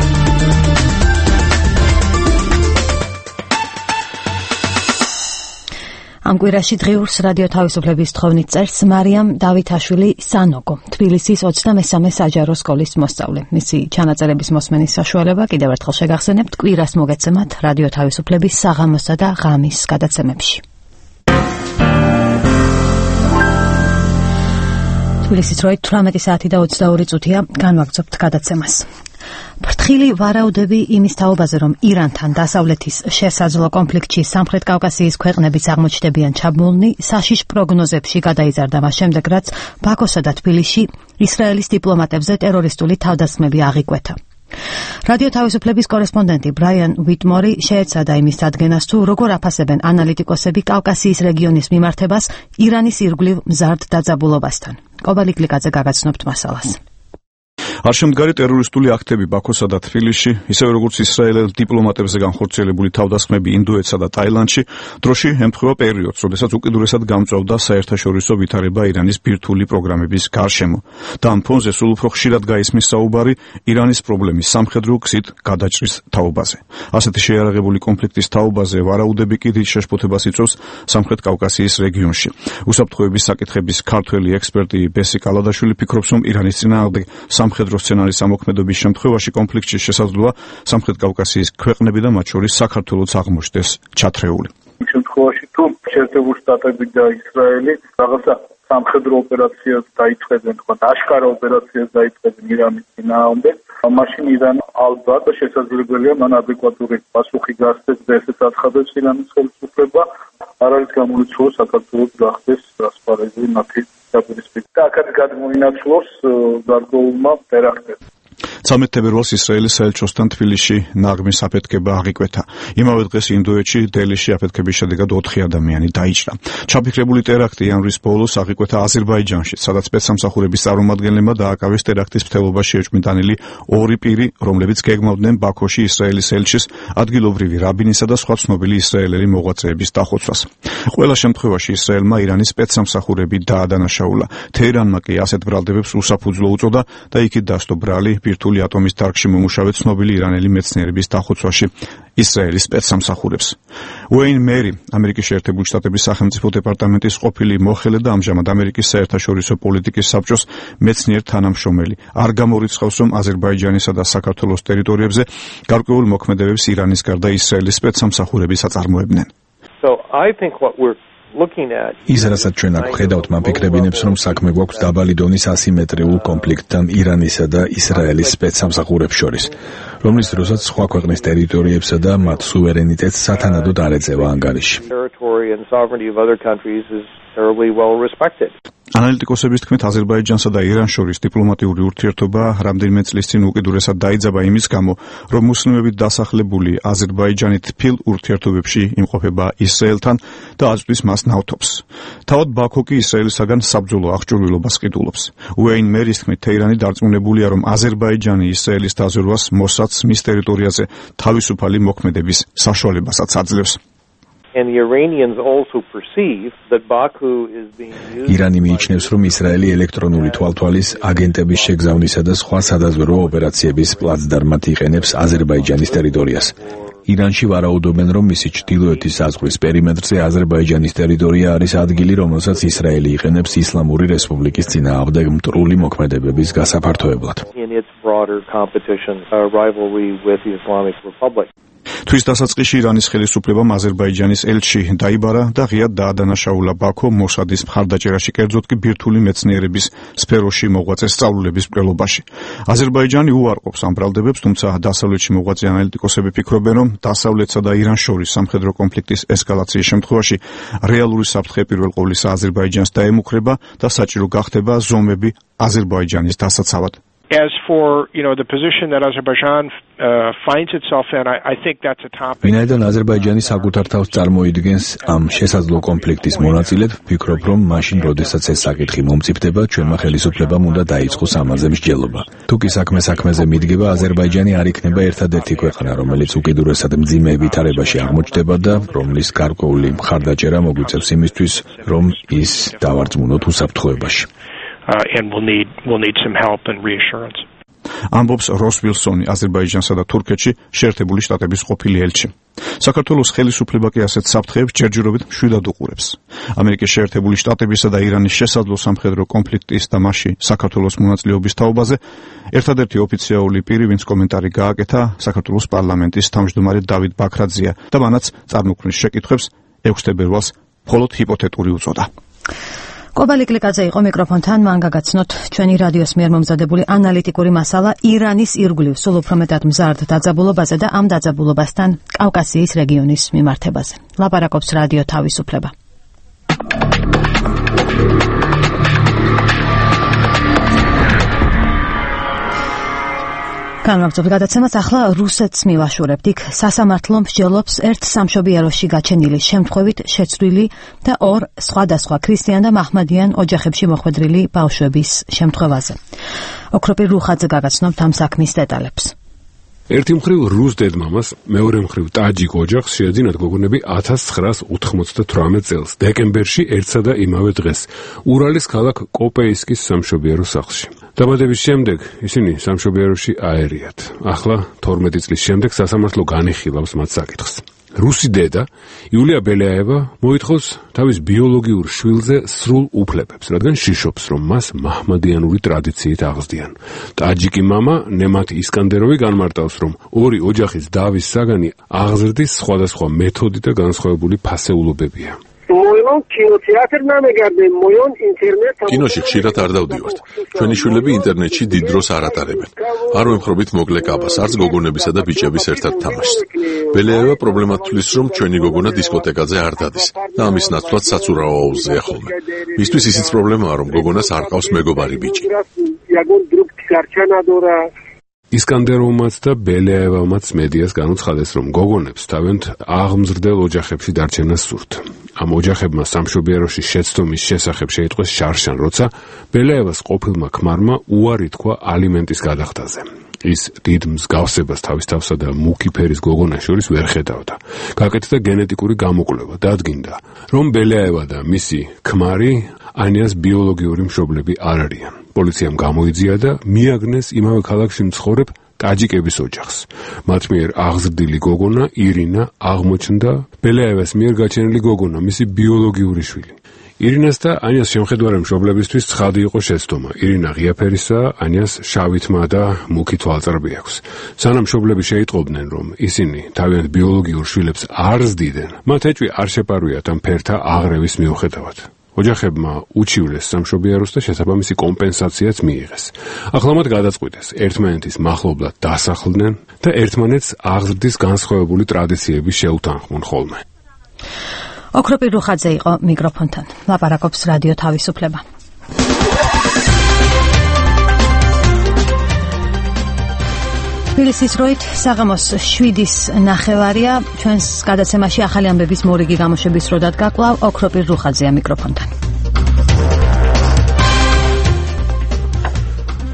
Speaker 1: ამ კვირაში დღიურს რადიო თავისუფლების თხოვნით წერს მარიამ დავითაშვილი სანოგო, თბილისის 23 საჯარო სკოლის მოსწავლე. მისი ჩანაწერების მოსმენის საშუალება კიდევ ერთხელ შეგახსენებთ კვირას მოგეცემათ რადიო თავისუფლების საღამოსა და ღამის გადაცემებში. თბილისის 18 საათი და 22 წუთია, განვაგრძობთ გადაცემას. ფრთხილი ვარაუდები იმის თაობაზე, რომ ირანთან დასავლეთის შესაძლო კონფლიქტში სამხრეთ კავკასიის ქვეყნებიც აღმოჩნდებიან ჩაბმულნი, საშიშ პროგნოზებში გადაიზარდა მას შემდეგ, რაც ბაქოსა და თბილისში ისრაელის დიპლომატებზე ტერორისტული თავდასხმები აღიკვეთა. რადიო თავისუფლების კორესპონდენტი ბრაიან ვიტმორი შეეცადა იმის დადგენას, თუ როგორ აფასებენ ანალიტიკოსები კავკასიის რეგიონის მიმართებას ირანის ირგვლივ მზარდ დაძაბულობასთან. კობალი კლიკაძე გაგაცნობთ მასალას.
Speaker 3: არ შემდგარი ტერორისტული აქტები ბაქოსა და თბილისში, ისევე როგორც ისრაელის დიპლომატებზე განხორციელებული თავდასხმები ინდოეთსა და ტაილანდში, დროში ემთხვევა პერიოდს, როდესაც უკიდურესად გამწვავდა საერთაშორისო ვითარება ირანის ბირთვული პროგრამების გარშემო. და ამ ფონზე სულ უფრო ხშირად გაისმის საუბარი ირანის პრობლემის სამხედრო გზით გადაჭრის თაობაზე. ასეთი შეიარაღებული კონფლიქტის თაობაზე ვარაუდები კი დიდ შეშფოთებას იწვევს სამხრეთ კავკასიის რეგიონში. უსაფრთხოების საკითხების ქართველი ექსპერტი ბესი კალადაშვილი ფიქრობს, რომ ირანის წინააღმდეგ სამხედრო სცენარის ამოქმედების შემთხვევაში კონფლიქტში შესაძლოა სამხრეთ კავკასიის ქვეყნები და მათ შორის საქართველოც აღმოჩნდეს ჩათრეული.
Speaker 19: შემთხვევაში თუ შეერთებული შტატები და ისრაელი რაღაცა სამხედრო ოპერაციას დაიწყებენ, თქვა აშკარა ოპერაციას დაიწყებენ ირანის წინააღმდეგ, მაშინ ირანი ალბათ შესაძლებელია მან ადეკვატური პასუხი გასცეს და ესეც აცხადებს ირანის ხელისუფლება. არ არის გამორიცხული საქართველოს გახდეს ასპარეზი მათი დაპირისპირება. და აქაც გადმოინაცვლოს გარკვეულმა ტერაქტებს.
Speaker 3: 13 თებერვალს ისრაელის საელჩოსთან თბილისში ნაღმის აფეთქება აღიკვეთა. იმავე დღეს ინდოეთში დელიში აფეთქების შედეგად 4 ადამიანი დაიჭრა. ჩაფიქრებული ტერაქტი იანვრის ბოლოს აღიკვეთა აზერბაიჯანში, სადაც სპეცსამსახურების წარმომადგენლებმა დააკავეს ტერაქტის მცდელობაში ეჭვმიტანილი 2 პირი, რომლებიც გეგმავდნენ ბაქოში ისრაელის ელჩის, ადგილობრივი რაბინისა და სხვა ცნობილი ისრაელელი მოღვაწეების დახოცვას. ყველა შემთხვევაში ისრაელმა ირანის სპეცსამსახურები დაადანაშაულა. თეირანმა კი ასეთ ბრალდებებს უსაფუძვლო უწოდა და იქით დასტო ბრალი ბირთვული რთული ატომის დარგში მომუშავე ცნობილი ირანელი მეცნიერების დახოცვაში ისრაელის სპეცსამსახურებს. უეინ მერი, ამერიკის შეერთებული შტატების სახელმწიფო დეპარტამენტის ყოფილი მოხელე და ამჟამად ამერიკის საერთაშორისო პოლიტიკის საბჭოს მეცნიერ თანამშრომელი, არ გამორიცხავს, რომ აზერბაიჯანისა და საქართველოს ტერიტორიებზე გარკვეულ მოქმედებებს ირანის გარდა ისრაელის სპეცსამსახურები აწარმოებდნენ.
Speaker 20: ის, რასაც ჩვენ აქ ვხედავთ, მაფიქრებინებს, რომ საქმე გვაქვს დაბალი დონის ასიმეტრიულ კონფლიქტთან ირანისა და ისრაელის სპეცსამსახურებს შორის, რომლის დროსაც სხვა ქვეყნის ტერიტორიებსა და მათ სუვერენიტეტს სათანადოდ არ ეწევა ანგარიში.
Speaker 3: ანალიტიკოსების თქმით, აზერბაიჯანსა და ირანს შორის დიპლომატიური ურთიერთობა რამდენიმე წლის წინ უკიდურესად დაიძაბა იმის გამო, რომ მუსლიმებით დასახლებული აზერბაიჯანი თბილ ურთიერთობებში იმყოფება ისრაელთან და აწვდის მას ნავთობს. თავად ბაქო კი ისრაელისაგან საბრძოლო აღჭურვილობას ყიდულობს. უეინ მერის თქმით, თეირანი დარწმუნებულია, რომ აზერბაიჯანი ისრაელის დაზვერვას მოსადს მის ტერიტორიაზე თავისუფალი მოქმედების საშუალებასაც აძლევს.
Speaker 20: ირანი მიიჩნევს, რომ ისრაელი ელექტრონული თვალთვალის აგენტების შეგზავნისა და სხვა სადაზვერვო ოპერაციების პლაცდარმად იყენებს აზერბაიჯანის ტერიტორიას. ირანში ვარაუდობენ, რომ მისი ჩრდილოეთის საზღვრის პერიმეტრზე აზერბაიჯანის ტერიტორია არის ადგილი, რომელსაც ისრაელი იყენებს ისლამური რესპუბლიკის წინააღმდეგ მტრული მოქმედებების გასაფართოებლად.
Speaker 3: თვის დასაწყისში ირანის ხელისუფლებამ აზერბაიჯანის ელჩი დაიბარა და ღიად დაადანაშაულა ბაქო მოსადის მხარდაჭერაში, კერძოდ კი ბირთვული მეცნიერების სფეროში მოღვაწე სწავლულების მკვლელობაში. აზერბაიჯანი უარყოფს ამ ბრალდებებს, თუმცა დასავლეთში მოღვაწე ანალიტიკოსები ფიქრობენ, რომ დასავლეთსა და ირანს შორის სამხედრო კონფლიქტის ესკალაციის შემთხვევაში რეალური საფრთხე პირველ ყოვლისა აზერბაიჯანს დაემუქრება და საჭირო გახდება ზომები აზერბაიჯანის დასაცავად.
Speaker 21: As for, the position that Azerbaijan finds itself in, I think that's a topic.
Speaker 20: ვინაიდან აზერბაიჯანი საკუთარ თავს წარმოიდგენს ამ შესაძლო კონფლიქტის მონაწილედ, ვფიქრობ, რომ მაშინ, როდესაც ეს საკითხი მომწიფდება, ჩვენმა ხელისუფლებამ უნდა დაიწყოს ამაზე მსჯელობა. თუ კი საქმეზე მიდგება, აზერბაიჯანი არ იქნება ერთადერთი ქვეყანა, რომელიც უკიდურესად მძიმე ვითარებაში აღმოჩნდება და რომლის გარკვეული მხარდაჭერა მოგვიწევს იმისთვის, რომ ის დავარწმუნოთ უსაფრთხოებაში.
Speaker 21: And we'll need some help and reassurance.
Speaker 3: ამბობს როს ვილსონი, აზერბაიჯანსა და თურქეთში შეერთებული შტატების ყოფილი ელჩი. საქართველოს ხელისუფლება კი ასეთ საფრთხეებს ჯერჯერობით მშვიდად უყურებს. ამერიკის შეერთებული შტატებისა და ირანის შესაძლო სამხედრო კონფლიქტის და მასში საქართველოს მონაწილეობის თაობაზე ერთადერთი ოფიციალური პირი, ვინც კომენტარი გააკეთა, საქართველოს პარლამენტის თავმჯდომარე დავით ბაქრაძეა და მანაც წარმოქმნის შეკითხვებს 6 თებერვალს მხოლოდ ჰიპოთეტური უწოდა.
Speaker 1: კობალი კლიკაძე იყო მიკროფონთან, მან გაგაცნოთ ჩვენი რადიოს მიერ მომზადებული ანალიტიკური მასალა ირანის ირგვლივ სულ უფრო მეტად მზარდ დაძაბულობაზე და ამ დაძაბულობასთან კავკასიის რეგიონის მიმართებაზე. ლაპარაკობს რადიო თავისუფლება. განმაგრძობთ გადაცემას, ახლა რუსეთს მივაშურებთ. იქ სასამართლო მსჯელობს ერთ სამშობიაროში გაჩენილი შემთხვევით შეცვლილი და 2 სხვადასხვა ქრისტიან და მაჰმადიან ოჯახებში მოხვედრილი ბავშვების შემთხვევაზე. ოქროპირ რუხაძე გაგაცნობთ ამ საქმის დეტალებს.
Speaker 2: ერთი მხრივ რუს დედმამას, მეორე მხრივ ტაჯიკ ოჯახს შეეძინათ გოგონები 1998 წელს, დეკემბერში ერთსა და იმავე დღეს, ურალის ქალაქ კოპეისკის სამშობიარო სახლში. დაბადების შემდეგ ისინი სამშობიაროში აერიათ. ახლა 12 წლის შემდეგ სასამართლო განიხილავს მათ საკითხს. რუსი დედა იულია ბელეაევა მოითხოვს თავის ბიოლოგიურ შვილზე სრულ უფლებებს, რადგან შიშობს, რომ მას მაჰმადიანური ტრადიციით აღზრდიან. ტაჯიკი მამა ნემათ ისკანდეროვი განმარტავს, რომ ორი ოჯახის დავის საგანი აღზრდის სხვადასხვა მეთოდი და განსხვავებული ფასეულობებია.
Speaker 4: კინოში ხშირად არ დავდივართ. ჩვენი შვილები ინტერნეტში დიდ დროს არ ატარებენ. არ ვემხრობით მოკლე კაბას, არც გოგონებისა და ბიჭების ერთად თამაშს. ბელეევა პრობლემად თვლის, რომ ჩვენი გოგონა დისკოთეკაზე არ დადის და ამის ნაცვლად საცურაო აუზია ხოლმე. მისთვის ისიც პრობლემაა, რომ გოგონას არ ყავს მეგობარი ბიჭი.
Speaker 2: ისკანდეროვმაც და ბელეევამაც მედიას განუცხადეს, რომ გოგონებს თავენთ აღმზრდელ ოჯახებში დარჩენა სურთ. ამ ოჯახებმა სამშობიაროში შეცდომის შესახებ შეიტყვეს შარშან, როცა ბელეევას ყოფილმა ქმარმა უარი თქვა ალიმენტის გადახდაზე. ის დიდ მსგავსებას თავის თავსა და მუქი ფერის გოგონას შორის ვერ ხედავდა. გაკეთდა გენეტიკური გამოკვლევა, დადგინდა, რომ ბელეევა და მისი ქმარი ანიას ბიოლოგიური მშობლები არ არიან. პოლიციამ გამოიძია და მიაგნეს იმავე ქალაქში მცხოვრებ ტაჯიკების ოჯახს. მათ მიერ აღზრდილი გოგონა ირინა აღმოჩნდა ბელეევას მიერ გაჩენილი გოგონა, მისი ბიოლოგიური შვილი. ირინას და ანიას შემხედარე მშობლებისთვის ცხადი იყო შეცდომა. ირინა ღია ფერისაა, ანიას შავი თმა და მუქი თვალწრები აქვს. სანამ მშობლები შეიტყობდნენ, რომ ისინი თავიანთ ბიოლოგიურ შვილებს არ ზდიდნენ, მათ ეჭვი არ შეპარვიათ ამ ფერთა აღრევის მიუხედავად. ოჯახებმა უჩივლეს სამშობიაროს და შესაბამისი კომპენსაციაც მიიღეს. ახლა მათ გადაწყვიტეს ერთმანეთის მახლობლად დასახლდნენ და ერთმანეთს აღზრდის განსხვავებული ტრადიციები შეუთანხმონ ხოლმე.
Speaker 1: ოქროპი რუხაძე იყო მიკროფონთან. ლაპარაკობს რადიო თავისუფლება. თბილისის როით საღამოს 7-ის ნახევარია. ჩვენს გადაცემაში ახალი ამბების მორიგი გამოშვების დრო დადგა. კვლავ ოქროპი რუხაძეა მიკროფონთან.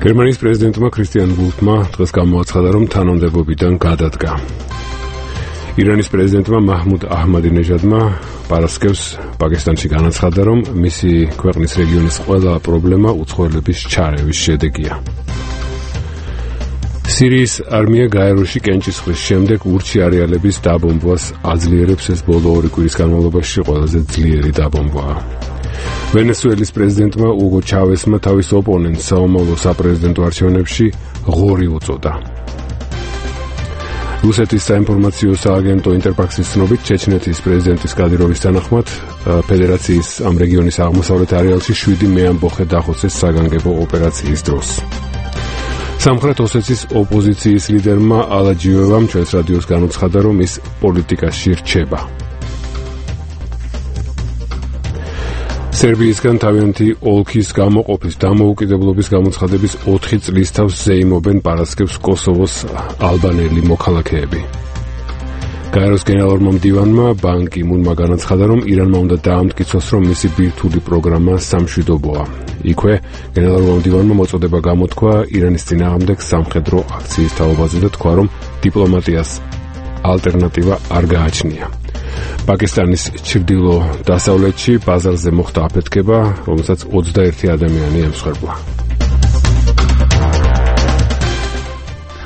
Speaker 2: გერმანიის პრეზიდენტმა ქრისტიან ვულფმა დღეს გამოაცხადა, რომ თანამდებობიდან გადადგა. ირანის პრეზიდენტმა მაჰმუდ აჰმადინეჟადმა პარასკევს პაკისტანში განაცხადა, რომ მისი ქვეყნის რეგიონის ყველა პრობლემა უცხოელების ჩარევის შედეგია. სირიის არმია გაეროში კენჭისყრის შემდეგ ურჩი არეალების დაბომბვას აძლიერებს. ეს ბოლო 2 კვირის განმავლობაში ყველაზე ძლიერი დაბომბვაა. ვენესუელის პრეზიდენტმა უგო ჩავესმა თავის ოპონენტს საომავლო საპრეზიდენტო არჩევნებში ღორი უწოდა. რუსეთის საინფორმაციო სააგენტო ინტერფაქსის ცნობით, ჩეჩნეთის პრეზიდენტის კადიროვის თანახმად, ფედერაციის ამ რეგიონის აღმოსავლეთ არეალში 7 მეამბოხე დახოცეს საგანგებო ოპერაციის დროს. სამხრეთ ოსეთის ოპოზიციის ლიდერმა ალაჯიევამ ჩვენს რადიოს განუცხადა, რომ ის პოლიტიკაში რჩება. სერბიისგან თავიანთი ოლქის გამოყოფის დამოუკიდებლობის გამოცხადების 4 წლის თავს ზეიმობენ პარასკევს კოსოვოს ალბანელი მოქალაქეები. გაეროს გენერალურმა მდივანმა ბან კი მუნმა განაცხადა, რომ ირანმა უნდა დაამტკიცოს, რომ მისი ბირთვული პროგრამა სამშვიდობოა. იქვე გენერალურმა მდივანმა მოწოდება გამოთქვა ირანის წინააღმდეგ სამხედრო აქციის თაობაზე და თქვა, რომ დიპლომატიას ალტერნატივა არ გააჩნია. პაკისტანის ჩრდილო-დასავლეთში ბაზარზე მოხდა აფეთქება, რომელსაც 21 ადამიანი ემსხვერპლა.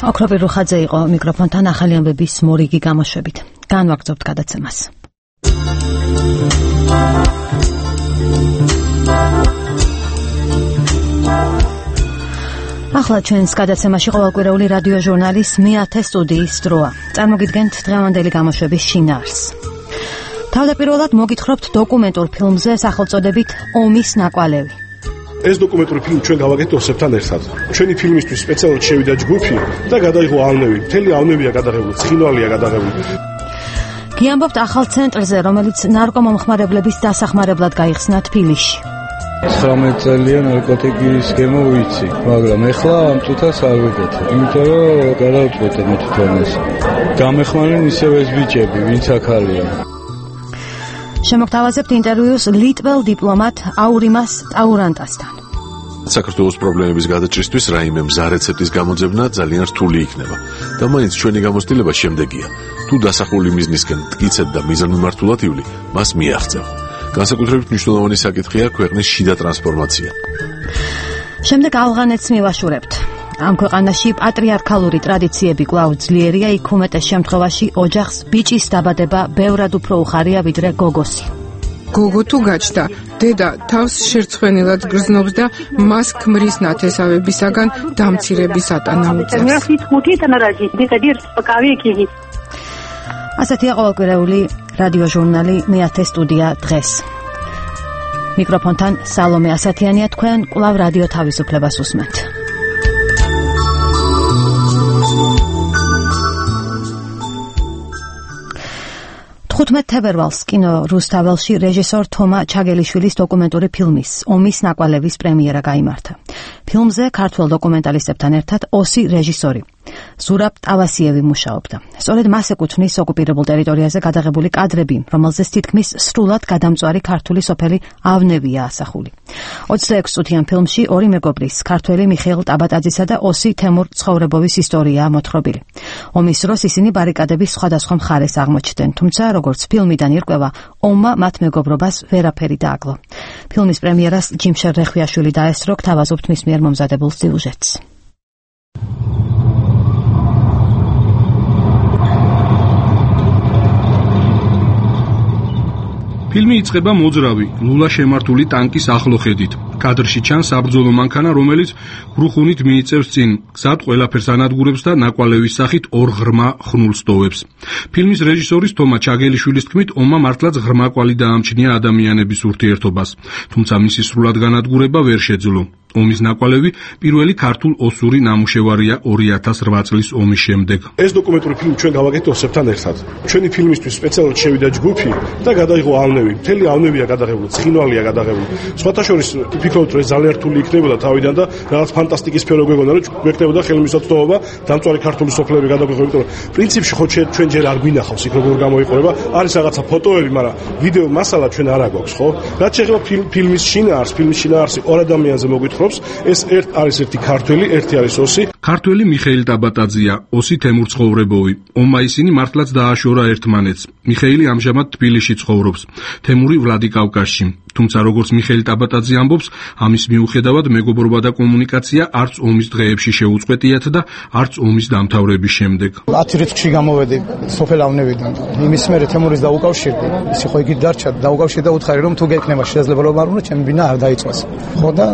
Speaker 1: ოქროპი რუხაძე იყო მიკროფონთან ახალი ამბების მორიგი გამოშვებით. განვაგრძობთ გადაცემას. ახლა ჩვენს გადაცემაში ყოველკვირეული რადიო ჟურნალის მე-10 სტუდიის დროა. წარმოგიდგენთ დღევანდელი გამოშვების შინაარსს. თავდაპირველად მოგითხრობთ დოკუმენტურ ფილმზე სახელწოდებით ომის ნაკვალევი.
Speaker 8: ეს დოკუმენტური ფილმი ჩვენ გავაკეთეთ ოსებთან ერთად. ჩვენი ფილმისთვის სპეციალურად შევიდა ჯგუფი და გადაიღო ავნები. მთელი ავნებია გადაღებული, ცხინვალია გადაღებული.
Speaker 1: გიამბობთ ახალ ცენტრზე, რომელიც ნარკომომხმარებლების დასახმარებლად გაიხსნა თბილისში.
Speaker 22: 19 წელია ნარკოტიკის გემო ვიცი, მაგრამ ეხლა ამ წუთას არ ვიკეთებ, იმიტომ რომ გადავწყვეტე მე თვითონ ეს. გამეხმარნენ ისევ ეს ბიჭები, ვინც აქ არიან.
Speaker 1: შემოგთავაზებთ ინტერვიუს ლიტველ დიპლომატ აურიმას ტაურანტასთან.
Speaker 4: საქართველოს პრობლემების გადაჭრისთვის რაიმე მზა რეცეპტის გამოძებნა ძალიან რთული იქნება და მაინც ჩვენი გამოცდილება შემდეგია. თუ დასახული მიზნისკენ მტკიცედ და მიზანმიმართულად ივლი, მას მიაღწევ. განსაკუთრებით მნიშვნელოვანი საკითხია ქვეყნის შიდა ტრანსფორმაცია.
Speaker 1: შემდეგ ავღანეთს მივაშურებთ. ამ ქვეყანაში პატრიარქალური ტრადიციები კვლავ ძლიერია, იქ უმეტეს შემთხვევაში ოჯახს ბიჭის დაბადება ბევრად უფრო უხარია ვიდრე გოგოსი.
Speaker 23: გოგო თუ გაჩნდა, დედა თავს შერცხვენილად გრძნობს და მას ქმრის ნათესავებისაგან დამცირების ატანა უწევს.
Speaker 1: ასეთია ყოველკვირეული რადიო ჟურნალი მე-10 სტუდია დღეს. მიკროფონთან სალომე ასათიანია, თქვენ კვლავ რადიო თავისუფლებას უსმენთ. თებერვალს კინო რუსთაველში რეჟისორ თომა ჩაგელიშვილის დოკუმენტური ფილმის ომის ნაკვალევის პრემიერა გაიმართა. ფილმზე ქართველ დოკუმენტალისტებთან ერთად 20 რეჟისორი. ზურაბ ტავასიევი მუშაობდა. სწორედ მას ეკუთვნის ოკუპირებულ ტერიტორიაზე გადაღებული კადრები, რომელზეც თითქმის სრულად გადამწვარი ქართული სოფელი ავნევია ასახული. 26 წუთიან ფილმში ორი მეგობრის, ქართველი მიხეილ ტაბატაძისა და ოსი თემურ ცხოვრებოვის ისტორიაა მოთხრობილი. ომის დროს ისინი ბარიკადების სხვადასხვა მხარეს აღმოჩნდნენ, თუმცა როგორც ფილმიდან ირკვევა, ომმა მათ მეგობრობას ვერაფერი დააკლო. ფილმის პრემიერას ჯიმშერ რეხვიაშვილი დაესწრო, გთავაზობთ მის მიერ მომზადებულ სიუჟეტს.
Speaker 6: ფილმი იწყება მოძრავი, ლულა შემართული ტანკის ახლო ხედით. კადრში ჩანს საბრძოლო მანქანა, რომელიც გრუხუნით მიიწევს წინ, გზად ყველაფერს ანადგურებს და ნაკვალევის სახით ორ ღრმა ხნულს ტოვებს. ფილმის რეჟისორის თომა ჩაგელიშვილის თქმით, ომმა მართლაც ღრმა კვალი დაამჩნია ადამიანების ურთიერთობას, თუმცა მისი სრულად განადგურება ვერ შეძლო. ომის ნაკვალევი პირველი ქართულ ოსური ნამუშევარია 2008 წლის ომის შემდეგ.
Speaker 8: ეს დოკუმენტური ფილმი ჩვენ გავაკეთეთ ოსებთან ერთად. ჩვენი ფილმისთვის სპეციალურად შევიდა ჯგუფი და გადაიღო ავნევი. მთელი ავნევია გადაღებული, ცხინვალია გადაღებული. სხვათა შორის ვფიქრობთ, რომ ეს ძალიან რთული იქნებოდა თავიდან და რაღაც ფანტასტიკის სფერო გვეგონა, რომ გვექნებოდა ხელმისაწვდომობა დამწვარი ქართული სოფლები გადაგვიღო, იმიტომ რომ პრინციპში ხო ჩვენ ჯერ არ გვინახავს იქ როგორ გამოიყურება. არის რაღაცა ფოტოები, მაგრამ ვიდეო მასალა ჩვენ არ აგვაქვს, ხო? რაც შეეხება ფილმის შინაარსს, ორ ადამიანზე მოგვითხრობ. ეს არის ერთი ქართველი, ერთი არის ოსი.
Speaker 6: ქართველი მიხეილ ტაბატაძეა, ოსი თემურ ცხოვრებოვი. ომმა ისინი მართლაც დააშორა ერთმანეთს. მიხეილი ამჟამად თბილისში ცხოვრობს, თემური ვლადიკავკაზში. თუმცა როგორც მიხეილ ტაბატაძე ამბობს, ამის მიუხედავად მეგობრობა და კომუნიკაცია არც ომის დღეებში შეუწყვეტიათ და არც ომის დამთავრების შემდეგ.
Speaker 10: 10 რიცხვში გამოვედი სოფელ ავნევიდან. იმის მერე თემურის დაუკავშირდი. ისი ხო იგი დარჩა, დაუკავშირდა და უთხარი რომ თუ გეკნება შესაძლებლობა არ უნდა ჩემი ბინა არ დაიწვას. ხო და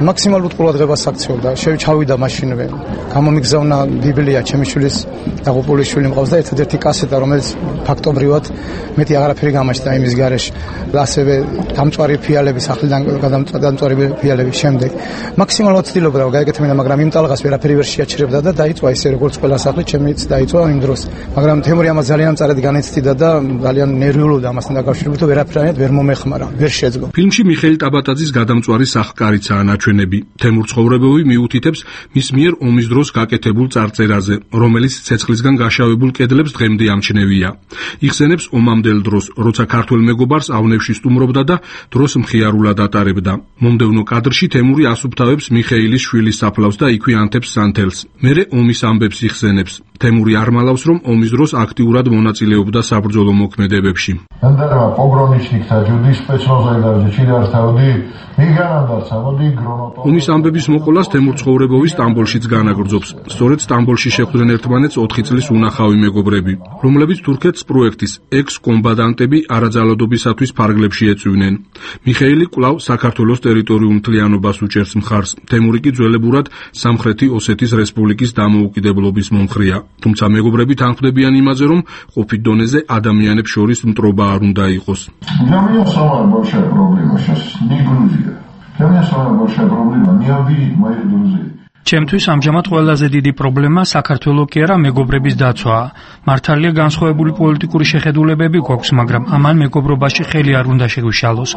Speaker 10: მაქსიმალურ ყურადღებას აქცევდა. ჩავიდა მაშინვე. გამომიგზავნა ბიბლია ჩემი შვილის დაღუპული შვილი მყავს და ერთადერთი კასეტა, რომელიც ფაქტობრივად მეტი აღარაფერი გამაჩნდა იმის გარეშე. ასევე დამწვარი ფიალების ახლიდან გადამწვარი ფიალების შემდეგ მაქსიმალურად ცდილობდა რომ გაეკეთებინა, მაგრამ იმ ტალღას ვერაფერი ვერ შეაჩერებდა და დაიწვა ისე როგორც ყველა სახლი ჩემიც დაიწვა იმ დროს. მაგრამ თემური ამას ძალიან მწარედ განიცდიდა და ძალიან ნერვიულობდა ამასთან დაკავშირებით, რომ ვერაფერად ვერ მომეხმარა, ვერ შეძლო.
Speaker 6: ფილმში მიხეილ ტაბატაძის გადამწვარი სახკარიცაა ნაჩვენები. თემურ ცხოვრებოვი მიუთითებს მის მიერ ომის დროს გაკეთებულ წარწერაზე, რომელიც ცეცხლისგან გაშავებულ კედლებს დღემდე ამჩნევია. იხსენებს ომამდელ დროს, როცა ქართველ მეგობარს ავნევში სტუმრობდა და დროს მხიარულად ატარებდა. მომდევნო კადრში თემური ასუფთავებს მიხეილის შვილის საფლავს და იქვე ანთებს სანთელს. მერე ომის ამბებს იხსენებს. თემური არ მალავს, რომ ომის დროს აქტიურად მონაწილეობდა საბრძოლო მოქმედებებში. ომის ამბების მოყოლას თემურ ცხოვრებოვის სტამბოლშიც განაგრძობს. სწორედ სტამბოლში შეხვდნენ ერთმანეთს 4 წლის უნახავი მეგობრები, რომლებიც თურქეთს პროექტის ექს-კომბატანტები არაძალადობისათვის ფარგლებში ეწვივნენ. მიხეილი კვლავ საქართველოს ტერიტორიულ მთლიანობას უჭერს მხარს. თემური კი ძველებურად სამხრეთი ოსეთის რესპუბლიკის დამოუკიდებლობის მომხრეა. თუმცა მეგობრები თანხმდებიან იმაზე, რომ ყოფით დონეზე ადამიანებს შორის მტრობა არ უნდა იყოს.
Speaker 11: ჩემთვის ამჟამად ყველაზე დიდი პრობლემა საქართველოს კი არა მეგობრების დაცვაა. მართალია განსხვავებული პოლიტიკური შეხედულებები გვაქვს, მაგრამ ამან მეგობრობაში ხელი არ უნდა შეგვიშალოს.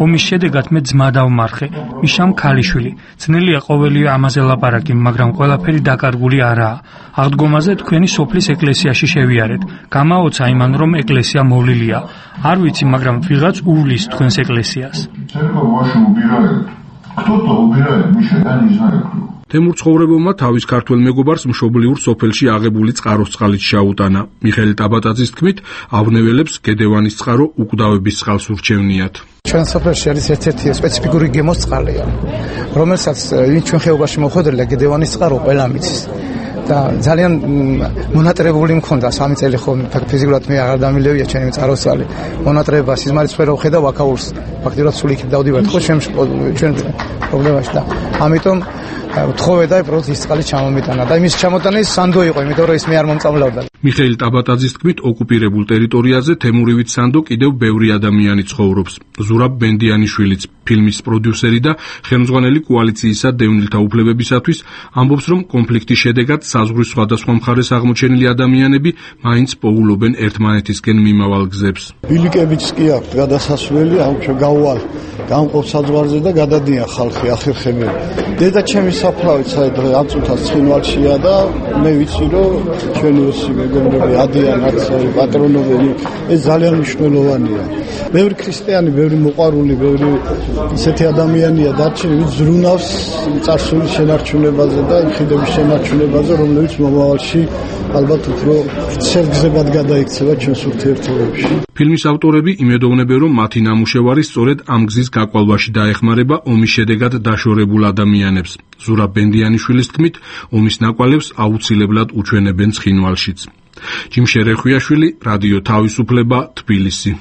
Speaker 11: ომის შედეგად მე ძმა დავმარხე, მიშამ ქალიშვილი. ძნელია ყოველი ამაზე ლაპარაკი, მაგრამ ყველაფერი დაკარგული არაა. აღდგომაზე თქვენი სოფლის ეკლესიაში შევიარეთ. გამაოცა იმან, რომ ეკლესია მოვლილია. არ ვიცი, მაგრამ ვიღაც უვლის თქვენს ეკლესიას.
Speaker 6: თემურ ცხოვრებოვმა თავის ქართველ მეგობარს მშობლიურ სოფელში აღებული წყაროს წყალით შეაუტანა. მიხეილ ტაბატაძის თქმით, ავნეველებს გედევანის წყარო უკვდავების წყალს ურჩევნიათ.
Speaker 10: ჩვენ სოფელში არის ერთ-ერთი სპეციფიკური გემოს წყალია, რომელსაც ჩვენ ხეობაში მოხვედრილა გედევანის წყარო ყველა მიცის. და ძალიან მონატრებული მქონდა 3 წელი ხო ფიზიკურად მე აღარ დამილევია ჩემი წაროსვალი. მონატრება სიზმარიც ვერ ვხედავ აქაურს. ფაქტიურად სულ იქით დავდივართ ხო ჩვენ პრობლემაში და ამიტომ თხოვე და პროცესი წყალი ჩამომიტანა და იმის ჩამოტანის სანდო იყო, იმიტომ რომ ის მე არ მომწამლავდა.
Speaker 6: მიხეილ ტაბატაძის თქმით, ოკუპირებულ ტერიტორიაზე თემურივით სანდო კიდევ ბევრი ადამიანი ცხოვრობს. ზურაბ ბენდიანიშვილიც, ფილმის პროდიუსერი და ხელმძღვანელი კოალიციისა დევნილთა უფლებებისათვის, ამბობს, რომ კონფლიქტის შედეგად საზღვრის სხვადასხვა მხარეს აღმოჩენილი ადამიანები მაინც პოულობენ ერთმანეთისკენ მიმავალ გზებს.
Speaker 5: ბილიკებიც კი აქვს გადასასვლელი, ამიტომ გაუვალ გამყოფ საზღვარზე და გადადიან ხალხი ახერხებენ. დედა ჩემი საფლავით საერთოდ ამ წუთას ცხინვალშია და მე ვიცი, რომ ჩვენი ოსი მეგობრები ადიან არც პატრონობენ. ეს ძალიან მნიშვნელოვანია. ბევრი ქრისტიანი, ბევრი მოყვარული, ბევრი ისეთი ადამიანია დარჩენილი, ვინც ზრუნავს წარსულის შენარჩუნებაზე და იხიდების შენარჩუნებაზე, რომლებიც მომავალში ალბათ უფრო ვრცელგზებად გადაიქცევა ჩვენს ურთიერთობებში.
Speaker 6: ფილმის ავტორები იმედოვნებენ, რომ მათი ნამუშევარი სწორედ ამ გზის გაკვალვაში დაეხმარება ომის შედეგად დაშორებულ ადამიანებს. ზურაბ ბენდიანიშვილის თქმით, ომის ნაკვალევს აუცილებლად უჩვენებენ ცხინვალშიც. ჯიმ შერეხვიაშვილი, რადიო თავისუფლება, თბილისი.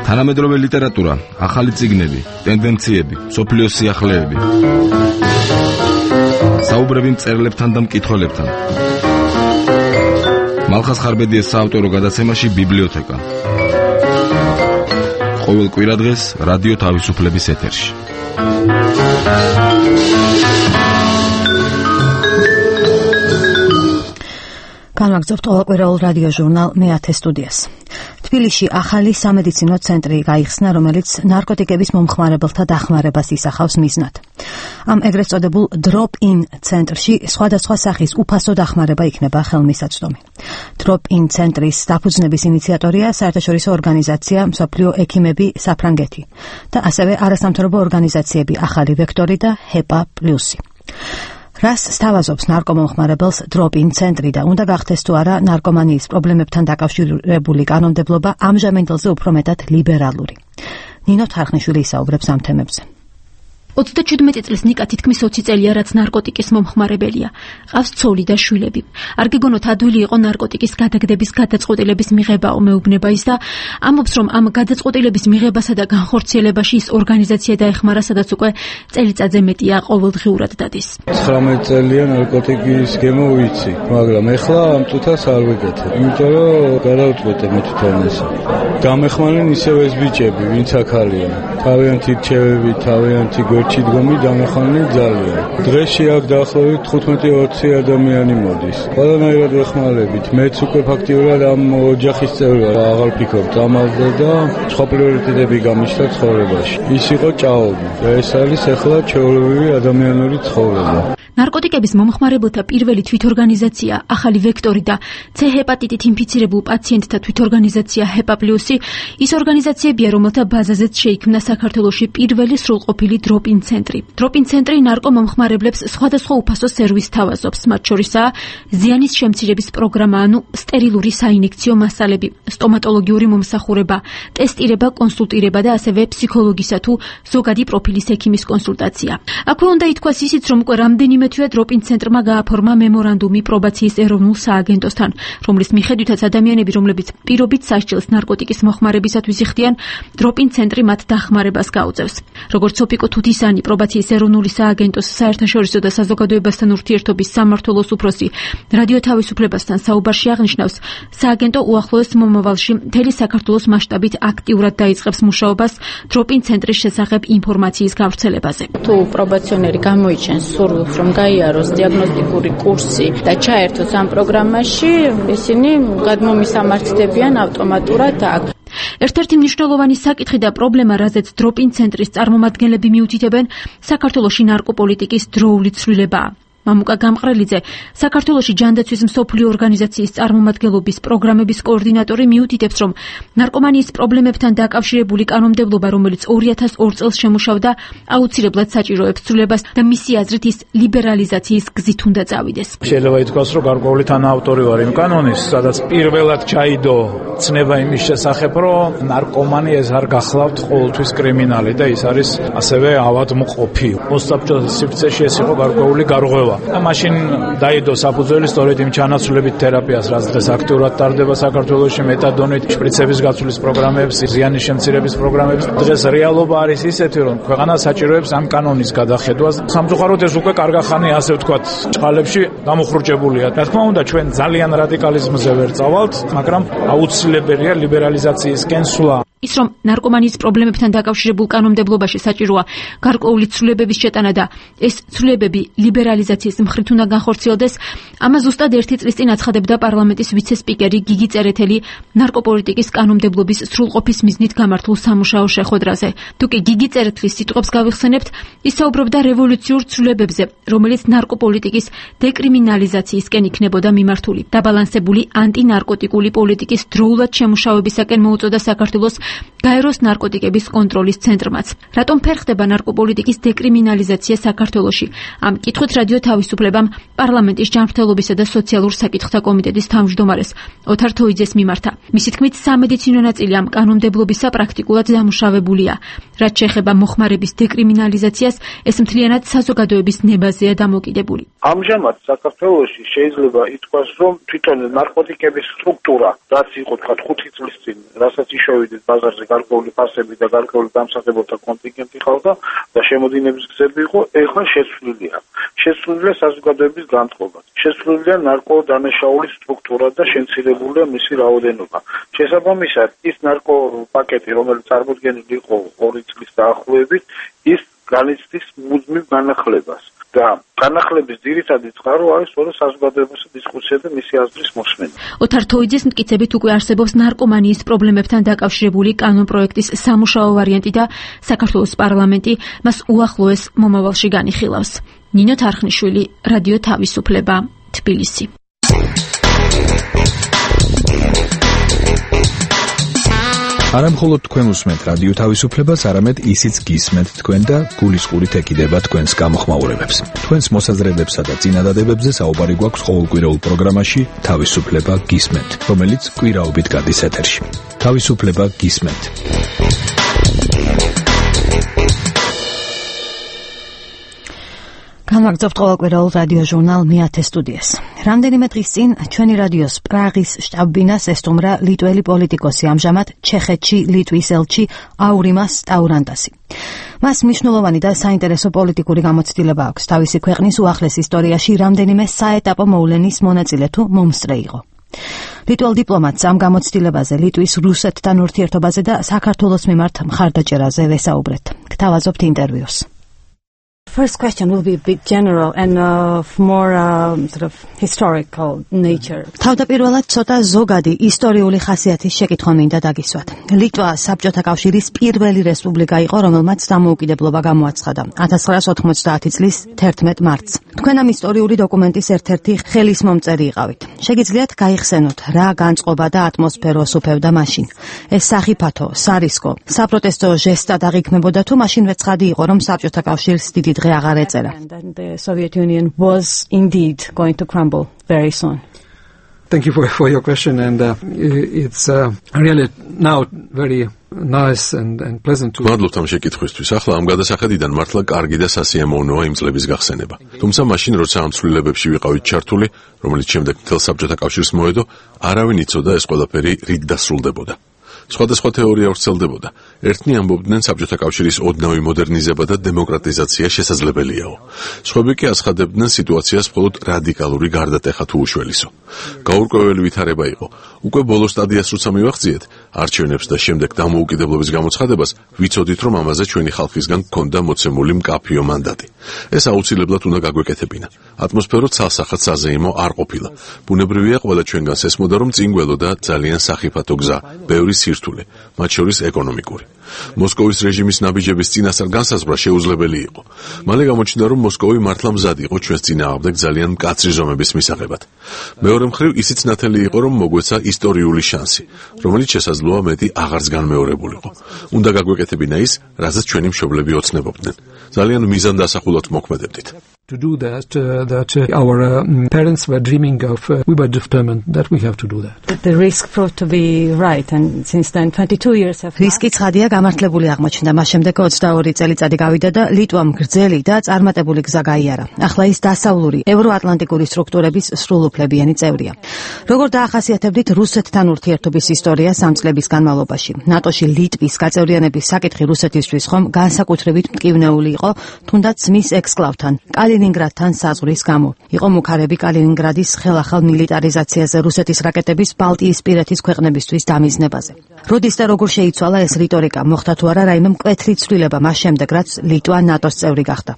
Speaker 9: თანამედროვე ლიტერატურა, ახალი წიგნები, ტენდენციები, მსოფლიოს სიახლეები. საუბრები მწერლებთან და მკითხველებთან. მალხას ხარბედიეს საავტორო გადაცემაში ბიბლიოთეკა. ყოველ კვირადღეს რადიო თავისუფლების ეთერში.
Speaker 1: განვაგრძობთ ყოველკვირეულ რადიო ჟურნალ მე-10 სტუდიას. თბილისში ახალი სამედიცინო ცენტრი გაიხსნა, რომელიც ნარკოტიკების მომხმარებელთა დახმარებას ისახავს მიზნად. ამ ეგრეთ წოდებულ drop-in ცენტრში სხვადასხვა სახის უფასო დახმარება იქნება ხელმისაწვდომი. drop-in ცენტრის დაფუძნების ინიციატორია საერთაშორისო ორგანიზაცია მსოფლიო ექიმები საფრანგეთი და ასევე არასამთავრობო ორგანიზაციები ახალი ვექტორი და HEPA+. რას სთავაზობს ნარკომომხმარებელს drop-in ცენტრი და უნდა გახდეს თუ არა ნარკომანიის პრობლემებთან დაკავშირებული კანონმდებლობა ამჟამინდელზე უფრო მეტად ლიბერალური. ნინო თარხნიშვილი ისაუბრებს ამ თემებზე.
Speaker 12: 37 წლის ნიკა თითქმის 20 წელია, რაც ნარკოტიკის მომხმარებელია. ყავს ცოლი და შვილები. არ გეგონოთ ადვილი იყო ნარკოტიკის გადაგდების გადაწყვეტილების მიღებაო, მეუბნება ის და ამბობს, რომ ამ გადაწყვეტილების მიღებასა და განხორციელებაში ის ორგანიზაცია დაეხმარა, სადაც უკვე წელიწადზე მეტია ყოველდღიურად დადის.
Speaker 22: 19 წელია ნარკოტიკის გემო ვიცი, მაგრამ ეხლა ამ წუთას არ ვიკეთებ. იმიტომ რომ გადავწყვეტე მე თვითონ ესე. გამეხმარნენ ისევ ეს ბიჭები, ვინც აქ არიან. თავიანთი რჩევები, თავიანთი ჩიდგომი დამეხმარნენ ძალიან. დღეში აქ დაახლოებით 15-20 ადამიანი მოდის. ყველანაირად ვეხმარებით. მეც უკვე ფაქტიურად ამ ოჯახის წევრი ვარ. აღარ ვფიქრობ ამაზე და სხვა პრიორიტეტები გამიშთა ცხოვრებაში. ის იყო ჭაობი. ეს არის ახლა ჩვეულებრივი ადამიანური ცხოვრება.
Speaker 12: ნარკოტიკების მომხმარებელთა პირველი თვითორგანიზაცია ახალი ვექტორი და C ჰეპატიტით ინფიცირებულ პაციენტთა თვითორგანიზაცია HEPA+, ის ორგანიზაციებია, რომელთა ბაზაზეც შეიქმნა საქართველოში პირველი სრულყოფილი drop-in ცენტრი. drop-in ცენტრი ნარკომომხმარებლებს სხვადასხვა უფასო სერვისს თავაზობს, მათ შორისაა ზიანის შემცირების პროგრამა, ანუ სტერილური საინექციო მასალები, სტომატოლოგიური მომსახურება, ტესტირება, კონსულტირება და ასევე ფსიქოლოგისა თუ ზოგადი პროფილის ექიმის კონსულტაცია. აქვე უნდა ითქვას ისიც, რომ უკვე რამდენიმე თვეა drop-in ცენტრმა გააფორმა მემორანდუმი პრობაციის ეროვნულ სააგენტოსთან, რომლის მიხედვითაც ადამიანები, რომლებიც პირობით სასჯელს ნარკოტიკის მოხმარებისათვის იხდიან, drop-in ცენტრი მათ დახმარებას გაუწევს. როგორც ოფიკო თუთისანი, პრობაციის ეროვნული სააგენტოს საერთაშორისო და საზოგადოებასთან ურთიერთობის სამმართველოს უფროსი რადიო თავისუფლებასთან საუბარში აღნიშნავს, სააგენტო უახლოეს მომავალში მთელი საქართველოს მასშტაბით აქტიურად დაიწყებს მუშაობას drop-in ცენტრის შესახებ ინფორმაციის გავრცელებაზე.
Speaker 24: თუ პრობაციონერი გამოიჩენს სურვილს, რომ გაიაროს დიაგნოსტიკური კურსი და ჩაერთოს ამ პროგრამაში, ისინი გადმომისამართდებიან ავტომატურად აქ.
Speaker 12: ერთ-ერთი მნიშვნელოვანი საკითხი და პრობლემა, რაზეც drop-in ცენტრის წარმომადგენლები მიუთითებენ, საქართველოში ნარკოპოლიტიკის დროული ცვლილებაა. მამუკა გამყრელიძე, საქართველოში ჯანდაცვის მსოფლიო ორგანიზაციის წარმომადგენლობის პროგრამების კოორდინატორი მიუთითებს, რომ ნარკომანიის პრობლემებთან დაკავშირებული კანონმდებლობა, რომელიც 2002 წელს შემუშავდა, აუცილებლად საჭიროებს ცვლილებას და მისი აზრით ის ლიბერალიზაციის გზით უნდა წავიდეს.
Speaker 25: შეიძლება ითქვას, რომ გარკვეული თანაავტორი ვარ იმ კანონის, სადაც პირველად ჩაიდო ცნება იმის შესახებ, რომ ნარკომანი ეს არ გახლავთ ყოველთვის კრიმინალი და ის არის ასევე ავადმყოფი. მოსაბჭოს სივრცეში ეს იყო გარკვეული გარღვევა. მოხდა. და მაშინ დაიდო საფუძველი სწორედ იმ ჩანაცვლებით თერაპიას, რაც დღეს აქტიურად ტარდება საქართველოში, მეტადონით, შპრიცების გაცვლის პროგრამებს, ზიანის შემცირების პროგრამებს. დღეს რეალობა არის ისეთი, რომ ქვეყანა საჭიროებს ამ კანონის გადახედვას. სამწუხაროდ ეს უკვე კარგახანი, ასე ვთქვათ, ჭყალებში გამოხრუჭებულია. რა თქმა უნდა, ჩვენ ძალიან რადიკალიზმზე ვერ წავალთ, მაგრამ აუცილებელია ლიბერალიზაციისკენ სვლა.
Speaker 12: ის რომ ნარკომანიის პრობლემებთან დაკავშირებულ კანონმდებლობაში საჭიროა გარკვეული ცვლილებების შეტანა და ეს ცვლილებები ლიბერალიზაციის მხრით უნდა განხორციელდეს, ამას ზუსტად 1 წლის წინ აცხადებდა პარლამენტის ვიცე-სპიკერი გიგი წერეთელი ნარკოპოლიტიკის კანონმდებლობის სრულყოფის მიზნით გამართულ სამუშაო შეხვედრაზე. თუ კი გიგი წერეთლის სიტყვებს გავიხსენებთ, ის საუბრობდა რევოლუციურ ცვლილებებზე, რომელიც ნარკოპოლიტიკის დეკრიმინალიზაციისკენ იქნებოდა მიმართული. დაბალანსებული ანტინარკოტიკული პოლიტიკის დროულად შემუშავებისაკენ მოუწოდა საქართველოს გაეროს ნარკოტიკების კონტროლის ცენტრმაც. რატომ ფერხდება ნარკოპოლიტიკის დეკრიმინალიზაცია საქართველოში? ამ კითხვით რადიო თავისუფლებამ პარლამენტის ჯანმრთელობისა და სოციალურ საკითხთა კომიტეტის თავმჯდომარეს ოთარ თოიძეს მიმართა. მისი თქმით, სამედიცინო ნაწილი ამ კანონმდებლობისა პრაქტიკულად დამუშავებულია. რაც შეეხება მოხმარების დეკრიმინალიზაციას, ეს მთლიანად საზოგადოების ნებაზეა დამოკიდებული.
Speaker 19: ამჟამად საქართველოში შეიძლება ითქვას, რომ თვითონ ნარკოტიკების სტრუქტურა, რაც იყო თქვა 5 წლის წინ, რასაც იშოვიდეთ ბაზარზე გარკვეული ფასები და გარკვეული დამსახურებელთა კონტინგენტი ყავდა და შემოდინების გზები იყო, ეხლა შეცვლილია. შეცვლილია საზოგადოების განწყობა. შეცვლილია ნარკოდანაშაულის სტრუქტურა და შემცირებულია მისი რაოდენობა. შესაბამისად, ის ნარკოპაკეტი, რომელიც წარმოდგენილი იყო 2 წლის დაახლოებით, ის განიცდის მუდმივ განახლებას. და განახლების ძირითადი წყარო არის სწორედ საზოგადოებასა დისკუსია და მისი აზრის მოსმენა.
Speaker 12: ოთარ თოიძის მტკიცებით უკვე არსებობს ნარკომანიის პრობლემებთან დაკავშირებული კანონპროექტის სამუშაო ვარიანტი და საქართველოს პარლამენტი მას უახლოეს მომავალში განიხილავს. ნინო თარხნიშვილი, რადიო თავისუფლება, თბილისი.
Speaker 20: არა მხოლოდ თქვენ უსმენთ რადიო თავისუფლებას, არამედ ისიც გისმენთ თქვენ და გულისყურით ეკიდება თქვენს გამოხმაურებებს. თქვენს მოსაზრებებსა და წინადადებებზე საუბარი გვაქვს ყოველკვირეულ პროგრამაში თავისუფლება გისმენთ, რომელიც კვირაობით გადის ეთერში. თავისუფლება გისმენთ.
Speaker 1: განვაგრძობთ ყოველკვირეულ რადიო ჟურნალ მეათე სტუდიას. რამდენიმე დღის წინ ჩვენი რადიოს პრაღის შტაბ-ბინას ესტუმრა ლიტველი პოლიტიკოსი, ამჟამად ჩეხეთში ლიტვის ელჩი აურიმას სტაურანდასი. მას მნიშვნელოვანი და საინტერესო პოლიტიკური გამოცდილება აქვს. თავისი ქვეყნის უახლეს ისტორიაში რამდენიმე საეტაპო მოვლენის მონაწილე თუ მომსწრე იყო. ლიტველ დიპლომატს ამ გამოცდილებაზე, ლიტვის რუსეთთან ურთიერთობაზე და საქართველოს მიმართ მხარდაჭერაზე ვესაუბრეთ. გთავაზობთ ინტერვიუს. First question will be a bit general and of more sort of historical nature. თავდაპირველად ცოტა ზოგადი ისტორიული ხასიათის შეკითხვა მინდა დაგისვათ. ლიტვა საბჭოთა კავშირის პირველი რესპუბლიკა იყო, რომელმაც დამოუკიდებლობა გამოაცხადა 1990 წლის 11 მარტს. თქვენ ამ ისტორიული დოკუმენტის ერთ-ერთი ხელისმომწერი იყავით. შეგიძლიათ გაიხსენოთ, რა განწყობა და ატმოსფეროს უფევდა მაშინ? ეს სახიფათო, სარისკო, საპროტესტო ჟესტად აღიქმებოდა თუ მაშინვე ცხადი იყო, რომ საბჭოთა კავშირს დიდი დღე აღარ ეწერა? And the Soviet Union was indeed going to crumble very soon.
Speaker 13: Thank you for your question, and it's really now very nice and pleasant to.
Speaker 4: მადლობთ ამ შეკითხვისთვის. ახლა ამ გადასახედიდან მართლა კარგი და სასიამოვნოა იმ წლების გახსენება. თუმცა მაშინ, როცა ამ ცვლილებებში ვიყავით ჩართული, რომელიც შემდეგ მთელ საბჭოთა კავშირს მოედო, არავინ იცოდა ეს ყველაფერი რით დასრულდებოდა. სხვადასხვა თეორია ვრცელდებოდა. ერთნი ამბობდნენ საბჭოთა კავშირის ოდნავი მოდერნიზება და დემოკრატიზაცია შესაძლებელიაო. სხვები კი აცხადებდნენ სიტუაციას მხოლოდ რადიკალური გარდატეხა თუ უშველისო. გაურკვეველი ვითარება იყო. უკვე ბოლო სტადიას როცა მივახციეთ, არჩევნებს და შემდეგ დამოუკიდებლობის გამოცხადებას, ვიცოდით, რომ ამაზე ჩვენი ხალხისგან გქონდა მოცემული მკაფიო მანდატი. ეს აუცილებლად უნდა გაგვეკეთებინა. ატმოსფერო ცალსახად საზეიმო არ ყოფილა. ბუნებრივია ყველა ჩვენგანს ესმოდა, რომ წინ გველოდა ძალიან სახიფათო გზა, ბევრი სირთულე, მათ შორის ეკონომიკური. მოსკოვის რეჟიმის ნაბიჯების წინასწარ განსაზღვრა შეუძლებელი იყო. მალე გამოჩნდა, რომ მოსკოვი მართლა მზად იყო ჩვენს წინააღმდეგ ძალიან მკაცრი ზომების მისაღებად. მეორე მხრივ ისიც ნათელი იყო, რომ მოგვეცა ისტორიული შანსი, რომელიც შესაძლოა მეტი აღარც განმეორებულიყო. უნდა გაგვეკეთებინა ის, რაზეც ჩვენი მშობლები ოცნებობდნენ. ძალიან მიზანდასახულად მოქმედებდით.
Speaker 13: to do that our parents were dreaming of. We were determined that we have to do that.
Speaker 1: The risk proved to be right, and since then 22 years have passed. რისკი ცხადია გამართლებული აღმოჩნდა. მას შემდეგ 22 წელიწადი გავიდა და ლიტვამ გრძელი და წარმატებული გზა გაიარა. ახლა ის დასავლური ევროატლანტიკური სტრუქტურების სრულუფლებიანი წევრია. როგორ დაახასიათებდით რუსეთთან ურთიერთობის ისტორია 3 წლების განმავლობაში? ნატოში ლიტვის გაწევრიანების საკითხი რუსეთისთვის ხომ განსაკუთრებით მტკივნეული იყო, თუნდაც მის ექსკლავთან, კალინინგრადთან საზღვრის გამო. იყო მუქარები კალინინგრადის ხელახალ მილიტარიზაციაზე, რუსეთის რაკეტების ბალტიისპირეთის ქვეყნებისთვის დამიზნებაზე. როდის და როგორ შეიცვალა ეს რიტორიკა? მოხდა თუ არა რაიმე მკვეთრი ცვლილება მას შემდეგ, რაც ლიტვა ნატოს წევრი გახდა?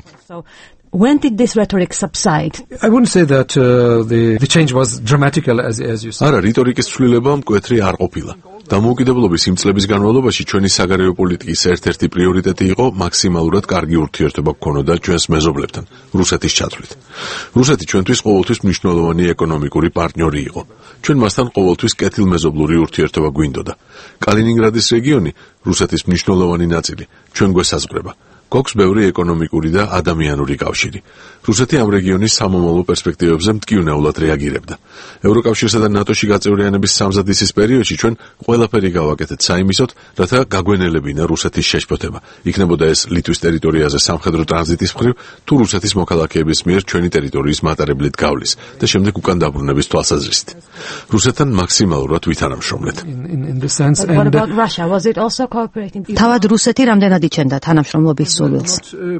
Speaker 1: When did this rhetoric subside?
Speaker 13: I wouldn't say that the change was dramatical as you said.
Speaker 4: არა, რიტორიკის ცვლილება მკვეთრი არ ყოფილა. დამოუკიდებლობის იმ წლების განმავლობაში ჩვენი საგარეო პოლიტიკის ერთ-ერთი პრიორიტეტი იყო მაქსიმალურად კარგი ურთიერთობა გქონოდა ჩვენს მეზობლებთან, რუსეთის ჩათვლით. რუსეთი ჩვენთვის ყოველთვის მნიშვნელოვანი ეკონომიკური პარტნიორი იყო. ჩვენ მასთან ყოველთვის კეთილმეზობლური ურთიერთობა გვინდოდა. კალინინგრადის რეგიონი, რუსეთის მნიშვნელოვანი ნაწილი, ჩვენ გვესაზღვრება. გვაქვს ბევრი ეკონომიკური და ადამიანური კავშირი. რუსეთი ამ რეგიონის სამომავლო პერსპექტივებზე მტკივნეულად რეაგირებდა. ევროკავშირსა და ნატოში გაწევრიანების სამზადისის პერიოდში ჩვენ ყველაფერი გავაკეთეთ საიმისოდ, რათა გაგვენელებინა რუსეთის შეშფოთება. იქნებოდა ეს ლიტვის ტერიტორიაზე სამხედრო ტრანზიტის მხრივ, თუ რუსეთის მოქალაქეების მიერ ჩვენი ტერიტორიის მატარებლით გავლის და შემდეგ უკან დაბრუნების თვალსაზრისით. რუსეთთან მაქსიმალურად ვითანამშრომლეთ.
Speaker 1: What about Russia? Was it also cooperating? თავად რუსეთი რამდენად იჩენდა თანამშრომლობის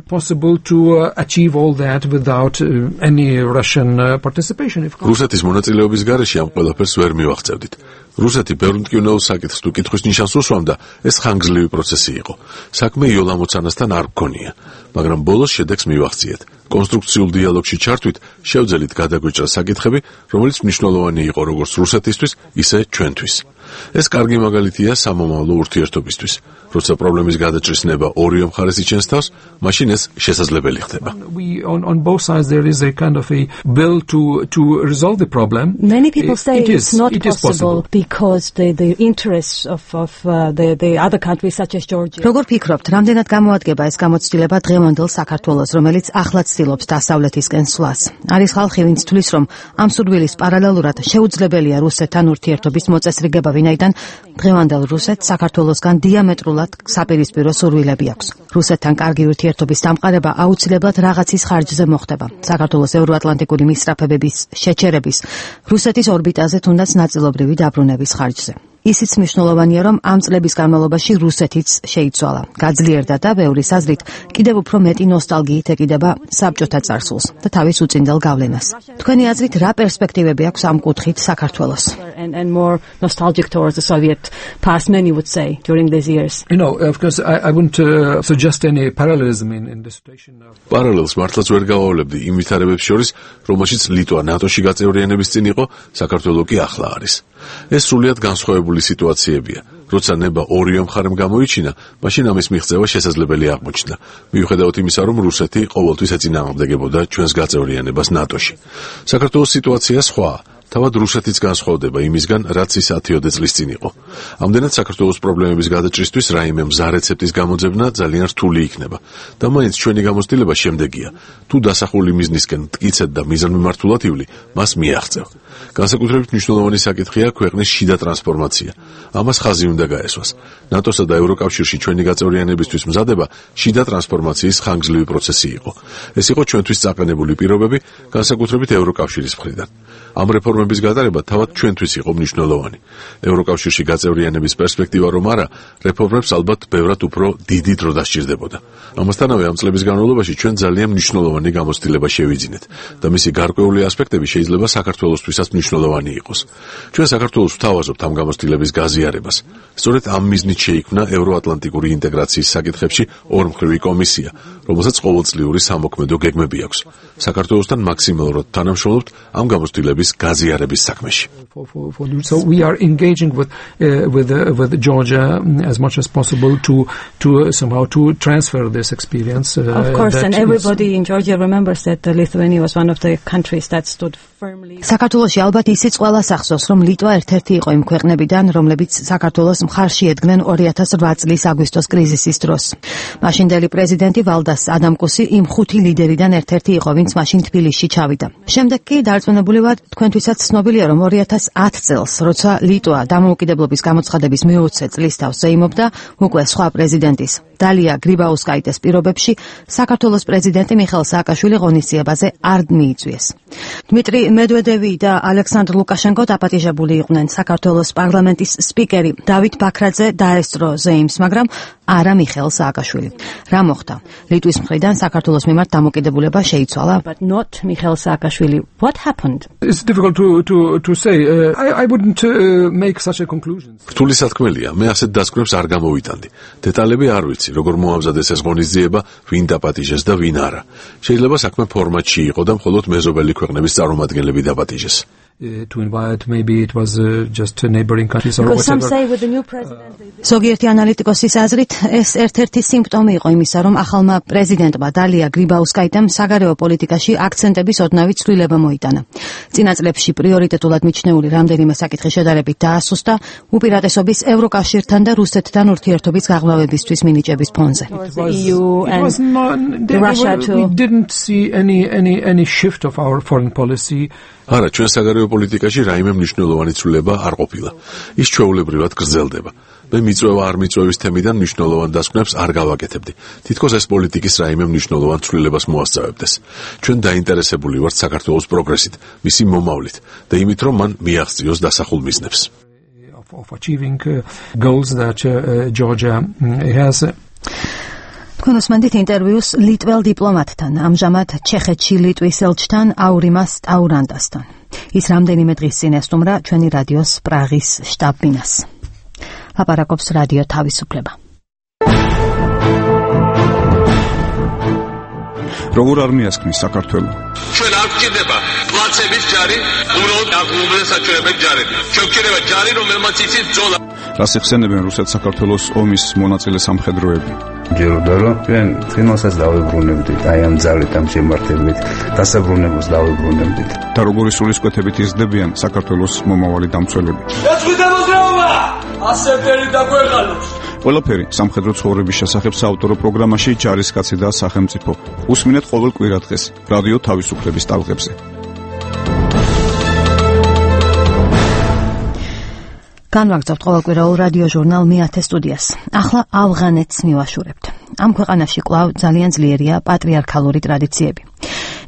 Speaker 13: possible to achieve all that without any Russian participation.
Speaker 4: რუსეთის მონაწილეობის გარეშე ამ ყველაფერს ვერ მივახცევდით. რუსეთი ბევრ მტკივნეულ საკითხს თუ კითხვის ნიშანს უსვამდა, ეს ხანგრძლივი პროცესი იყო. საქმე იოლ ამოცანასთან არ გქონია, მაგრამ ბოლოს შედეგს მივახციეთ. კონსტრუქციულ დიალოგში ჩართვით, შევძელით გადაგვეჭრა საკითხები, რომელიც მნიშვნელოვანი იყო როგორც რუსეთისთვის, ისე ჩვენთვის. ეს კარგი მაგალითია სამომავლო ურთიერთობისთვის. როცა პრობლემის გადაჭრის ნება ორივე მხარეს იჩენს თავს, მაშინ ეს შესაძლებელი ხდება.
Speaker 13: On both sides there is a kind of a will to resolve the problem.
Speaker 1: Many people say it's not possible because the interests of the other countries such as Georgia. როგორ ფიქრობთ, რამდენად გამოადგება ეს გამოცდილება დღევანდელ საქართველოს, რომელიც ახლა ცდილობს დასავლეთისკენ სვლას? არის ხალხი, ვინც თვლის, რომ ამ სურვილის პარალელურად შეუძლებელია რუსეთთან ურთიერთობის მოწესრიგება, ვინაიდან დღევანდელ რუსეთს საქართველოსგან დიამეტრულად საპირისპირო სურვილები აქვს. რუსეთთან კარგი ურთიერთობის დამყარება აუცილებლად რაღაცის ხარჯზე მოხდება. საქართველოს ევროატლანტიკური მისწრაფებების შეჩერების, რუსეთის ორბიტაზე თუნდაც ნაწილობრივი დაბრუნების ხარჯზე. ისიც მნიშვნელოვანია, რომ ამ წლების განმავლობაში რუსეთიც შეიცვალა, გაძლიერდა და ბევრის აზრით კიდევ უფრო მეტი ნოსტალგიით ეკიდება საბჭოთა წარსულს და თავის უწინდელ გავლენას. თქვენი აზრით, რა პერსპექტივები აქვს ამ კუთხით საქართველოს? And more nostalgic towards the Soviet past, many would say, during these years.
Speaker 13: You know, of course, I wouldn't suggest any parallelism in the situation now.
Speaker 4: Parallels მართლაც ვერ გავავლებდი იმ ვითარებებს შორის, რომელშიც ლიტვა ნატოში გაწევრიანების წინ იყო, საქართველო კი ახლა არის. ეს სრულიად განსხვავებული სიტუაციებია. როცა ნება ორივე მხარემ გამოიჩინა, მაშინ ამის მიღწევა შესაძლებელი აღმოჩნდა. მიუხედავად იმისა, რომ რუსეთი ყოველთვის ეწინააღმდეგებოდა ჩვენს გაწევრიანებას ნატოში. საქართველოს სიტუაცია სხვაა. თავად რუსეთიც განსხვავდება იმისგან, რაც ის 10 წლის წინ იყო. ამდენად საქართველოს პრობლემების გადაჭრისთვის რაიმე მზა რეცეპტის გამოძებნა ძალიან რთული იქნება. და მაინც ჩვენი გამოცდილება შემდეგია. თუ დასახული მიზნისკენ მტკიცედ და მიზანმიმართულად ივლი, მას მიაღწევ. განსაკუთრებით მნიშვნელოვანი საკითხია ქვეყნის შიდა ტრანსფორმაცია. ამას ხაზი უნდა გაესვას. ნატოსა და ევროკავშირში ჩვენი გაწევრიანებისთვის მზადება შიდა ტრანსფორმაციის ხანგრძლივი პროცესი იყო. ეს იყო ჩვენთვის წაყენებული პირობები, განსაკუთრებით ევროკავშირის მხრიდან. ამ რეფორმების გატარება თავად ჩვენთვის იყო მნიშვნელოვანი. ევროკავშირში გაწევრიანების პერსპექტივა რომ არა, რეფორმებს ალბათ ბევრად უფრო დიდი დრო დასჭირდებოდა. ამასთანავე ამ წლების განმავლობაში ჩვენ ძალიან მნიშვნელოვანი გამოცდილება შევიძინეთ და მისი გარკვეული ასპექტები შეიძლება საქართველოსთვისაც მნიშვნელოვანი იყოს. ჩვენ საქართველოს ვთავაზობთ ამ გამოცდილების გაზიარებას. სწორედ ამ მიზნით შეიქმნა ევროატლანტიკური ინტეგრაციის საკითხებში ორმხრივი კომისია, რომელსაც ყოველწლიური სამოქმედო გეგმები აქვს. საქართველოსთან მაქსიმალურად თანამშრომლობთ ამ გამოცდილების გაზიარების საქმეში.
Speaker 13: So we are engaging with Georgia as much as possible to somehow to transfer this experience.
Speaker 1: Of course, and everybody in Georgia remembers that Lithuania was one of the countries that stood საქართველოში ალბათ ისიც ყველას ახსოვს, რომ ლიტვა ერთ-ერთი იყო იმ ქვეყნებიდან, რომლებიც საქართველოს მხარში ედგნენ 2008 წლის აგვისტოს კრიზისის დროს. მაშინდელი პრეზიდენტი ვალდას ადამკუსი იმ 5 ლიდერიდან ერთ-ერთი იყო, ვინც მაშინ თბილისში ჩავიდა. შემდეგ კი დარწმუნებული ვარ, თქვენთვისაც ცნობილია, რომ 2010 წელს, როცა ლიტვა დამოუკიდებლობის გამოცხადების მე-20 წლისთავს ზეიმობდა, უკვე სხვა პრეზიდენტის დალია გრიბაუსკაიტეს პირობებში საქართველოს პრეზიდენტი მიხეილ სააკაშვილი ღონისძიებაზე არ მიიწვიეს. დმიტრი მედვედევი და ალექსანდრ ლუკაშენკო დაპატიჟებული იყვნენ. საქართველოს პარლამენტის სპიკერი დავით ბაქრაძე დაესწრო ზეიმს, მაგრამ არა მიხეილ სააკაშვილი. რა მოხდა? ლიტვის მხრიდან საქართველოს მიმართ დამოკიდებულება შეიცვალა, but not მიხეილ სააკაშვილი. What happened?
Speaker 13: It's difficult to say. I wouldn't make such a conclusion.
Speaker 4: რთული სათქმელია, მე ასეთ დასკვნებს არ გამოვიტანდი. დეტალები არ ვიცი, როგორ მოამზადეს ეს ღონისძიება, ვინ დაპატიჟეს და ვინ არა. შეიძლება საქმე ფორმატში იყო და მხოლოდ მეზობელი ქვეყნების წარმომადგენლები დაპატიჟეს.
Speaker 13: To invite, maybe it was just neighboring countries or whatever.
Speaker 1: ზოგიერთი ანალიტიკოსის აზრით, ეს ერთ-ერთი სიმპტომი იყო იმისა, რომ ახალმა პრეზიდენტმა დალია გრიბაუსკაიტემ საგარეო პოლიტიკაში აქცენტების ოდნავი ცვლილება მოიტანა. წინა წლებში პრიორიტეტულად მიჩნეული რამდენიმე საკითხი შედარებით დაასუსტა უპირატესობის ევროკავშირთან და რუსეთთან ურთიერთობის გაღრმავებისთვის მინიჭების ფონზე.
Speaker 13: We didn't see any shift of our foreign policy.
Speaker 4: არა, ჩვენ საგარეო პოლიტიკაში რაიმე მნიშვნელოვანი ცვლილება არ ყოფილა. ის ჩვეულებრივად გრძელდება. მე მიწვევა არ მიწვევის თემიდან მნიშვნელოვან დასკვნებს არ გავაკეთებდი. თითქოს ეს პოლიტიკის რაიმე მნიშვნელოვან ცვლილებას მოასწავებდეს. ჩვენ დაინტერესებული ვართ საქართველოს პროგრესით, მისი მომავლით და იმით, რომ მან მიაღწიოს დასახულ მიზნებს.
Speaker 13: Of achieving goals that Georgia has.
Speaker 1: თქვენ უსმენთ ინტერვიუს ლიტველ დიპლომატთან, ამჟამად ჩეხეთში ლიტვის ელჩთან აურიმას ტაურანდასთან. ის რამდენიმე დღის წინ ესტუმრა ჩვენი რადიოს პრაღის შტაბ-ბინას. ლაპარაკობს რადიო თავისუფლება.
Speaker 3: როგორ არ მიასქნის საქართველო?
Speaker 7: ჩვენ არ გვჭირდება პლაცების ჯარი, უბრალოდ აღუბრუნდეს საჩვენებელი ჯარები. ჩვენ გვჭირდება ჯარი, რომელმაც იცის ბრძოლა.
Speaker 3: რას იხსენებენ რუსეთ-საქართველოს ომის მონაწილე სამხედროები?
Speaker 14: ჯეროდა რომ ჩვენ წინასაც დავებრუნებდით, აი ამ ძალით, ამ შემართებით, დასაბრუნებულს დავებრუნებდით.
Speaker 3: და როგორი სულისკვეთებით იზრდებიან საქართველოს მომავალი დამცველები?
Speaker 7: ეს ვიდა მოძრაობა! ასეთერი დაგვეღალოს.
Speaker 3: ყველაფერი სამხედრო ცხოვრების შესახებ საავტორო პროგრამაში ჯარისკაცი და სახელმწიფო. უსმინეთ ყოველ კვირა დღეს რადიო თავისუფლების ტალღებზე.
Speaker 1: განვაგრძობთ ყოველკვირეულ რადიო ჟურნალ მეათე სტუდიას. ახლა ავღანეთს მივაშურებთ. ამ ქვეყანაში კვლავ ძალიან ძლიერია პატრიარქალური ტრადიციები.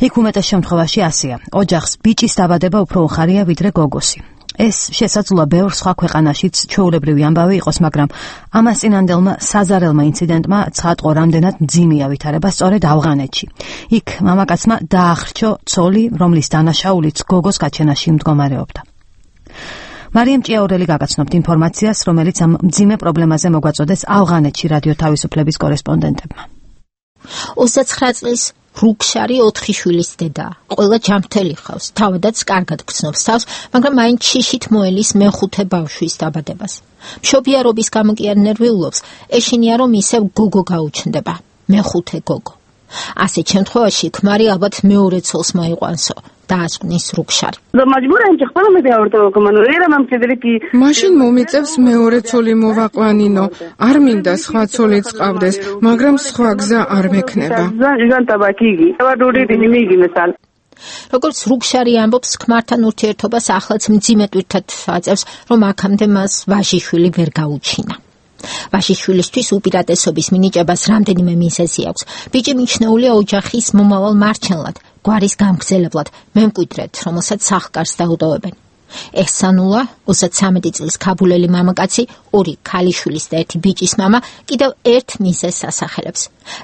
Speaker 1: იქ უმეტეს შემთხვევაში ასეა. ოჯახს ბიჭის დაბადება უფრო უხარია ვიდრე გოგოსი. ეს შესაძლოა ბევრ სხვა ქვეყანაშიც ჩვეულებრივი ამბავი იყოს, მაგრამ ამას წინანდელმა საზარელმა ინციდენტმა ცხადყო რამდენად მძიმეა ვითარება სწორედ ავღანეთში. იქ მამაკაცმა დაახრჩო ცოლი, რომლის დანაშაულიც გოგოს გაჩენაში მდგომარეობდა. მარიამ ჭიაურელი გაგაცნობთ ინფორმაციას, რომელიც ამ მძიმე პრობლემაზე მოგვაწოდეს ავღანეთში რადიო თავისუფლების კორესპონდენტებმა.
Speaker 15: 29 წლის რუქშარი 4 შვილის დედაა. ყველა ჯანმრთელი ხავს, თავადაც კარგად გრძნობს თავს, მაგრამ მაინც შიშით მოელის მეხუთე ბავშვის დაბადებას. მშობიარობის გამო კი არ ნერვიულობს, ეშინია რომ ისევ გოგო გაუჩნდება, მეხუთე გოგო. ასეთ შემთხვევაში ქმარი ალბათ მეორე ცოლს მოიყვანსო. დაასკვნის რუქშარი.
Speaker 23: მაშინ მომიწევს მეორე ცოლი მოვაყვანინო. არ მინდა სხვა ცოლიც ყავდეს, მაგრამ სხვა გზა არ მექნება.
Speaker 15: როგორც რუქშარი ამბობს, ქმართან ურთიერთობას ახლაც მძიმე ტვირთად აწევს, რომ აქამდე მას ვაჟიშვილი ვერ გაუჩინა. ვაჟიშვილისთვის უპირატესობის მინიჭებას რამდენიმე მიზეზი აქვს. ბიჭი მიჩნეულია ოჯახის მომავალ მარჩენლად, გვარის გამგზელებლად, მემკვიდრედ, რომელსაც სახლკარს დაუდავებენ. ეჰსანულა, 33 წლის ქაბულელი მამაკაცი, 2 ქალიშვილის და 1 ბიჭის მამა, კიდევ ერთ მიზეზს ასახელებს.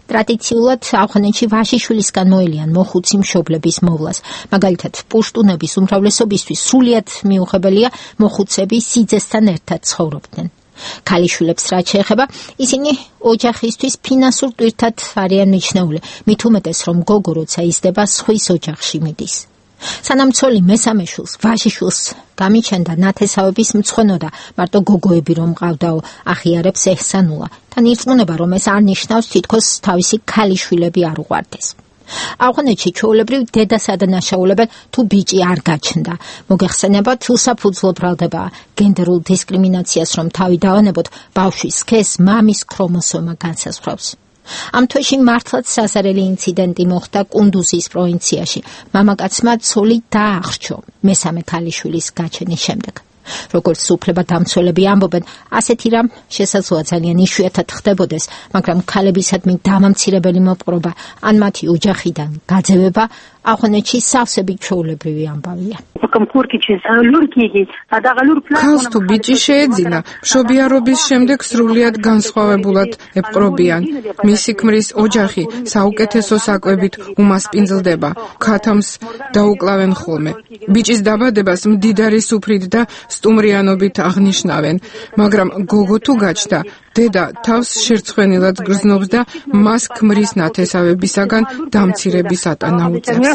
Speaker 15: ტრადიციულად ავღანეთში ვაჟიშვილისგან მოელიან მოხუცი მშობლების მოვლას. მაგალითად, პუშტუნების უმრავლესობისთვის სრულიად მიუღებელია მოხუცები სიძესთან ერთად ცხოვრობდნენ. ქალიშვილებს რაც შეეხება, ისინი ოჯახისთვის ფინანსურ ტვირთად არიან მიჩნეული, მით უმეტეს რომ გოგო როცა იზრდება სხვის ოჯახში მიდის. სანამ ცოლი მესამე შვილს, ვაჟიშვილს გამიჩენდა ნათესავების მწვენოდა, მარტო გოგოები რომ მყავდაო, აღიარებს ეჰსანულა. თან ირწმუნება რომ ეს არ ნიშნავს თითქოს თავისი ქალიშვილები არ უყვარდეს. ავღანეთში ჩვეულებრივ დედას ადანაშაულებენ თუ ბიჭი არ გაჩნდა. მოგეხსენებათ, უსაფუძვლო ბრალდება გენდერულ დისკრიმინაციას რომ თავი დავანებოთ, ბავშვის სქესს მამის ქრომოსომა განსაზღვრავს. ამ თვეში მართლაც საზარელი ინციდენტი მოხდა კუნდუზის პროვინციაში. მამაკაცმა ცოლი დაახრჩო მესამე ქალიშვილის გაჩენის შემდეგ. როგორც უფლებადამცველები ამბობენ, ასეთი რამ შესაძლოა ძალიან იშვიათად ხდებოდეს, მაგრამ ქალებისადმი დამამცირებელი მოპყრობა ან მათი ოჯახიდან გაძევება ავღანეთში სავსებით ჩვეულებრივი ამბავია.
Speaker 23: ქალს თუ ბიჭი შეეძინა, მშობიარობის შემდეგ სრულიად განსხვავებულად ეპყრობიან. მისი ქმრის ოჯახი საუკეთესო საკვებით უმასპინძლდება, ქათამს დაუკლავენ ხოლმე. ბიჭის დაბადებას მდიდარი სუფრით და სტუმრიანობით აღნიშნავენ, მაგრამ გოგო თუ გაჩნდა, დედა თავს შერცხვენილად გრძნობს და მას ქმრის ნათესავებისაგან დამცირების ატანა უწევს.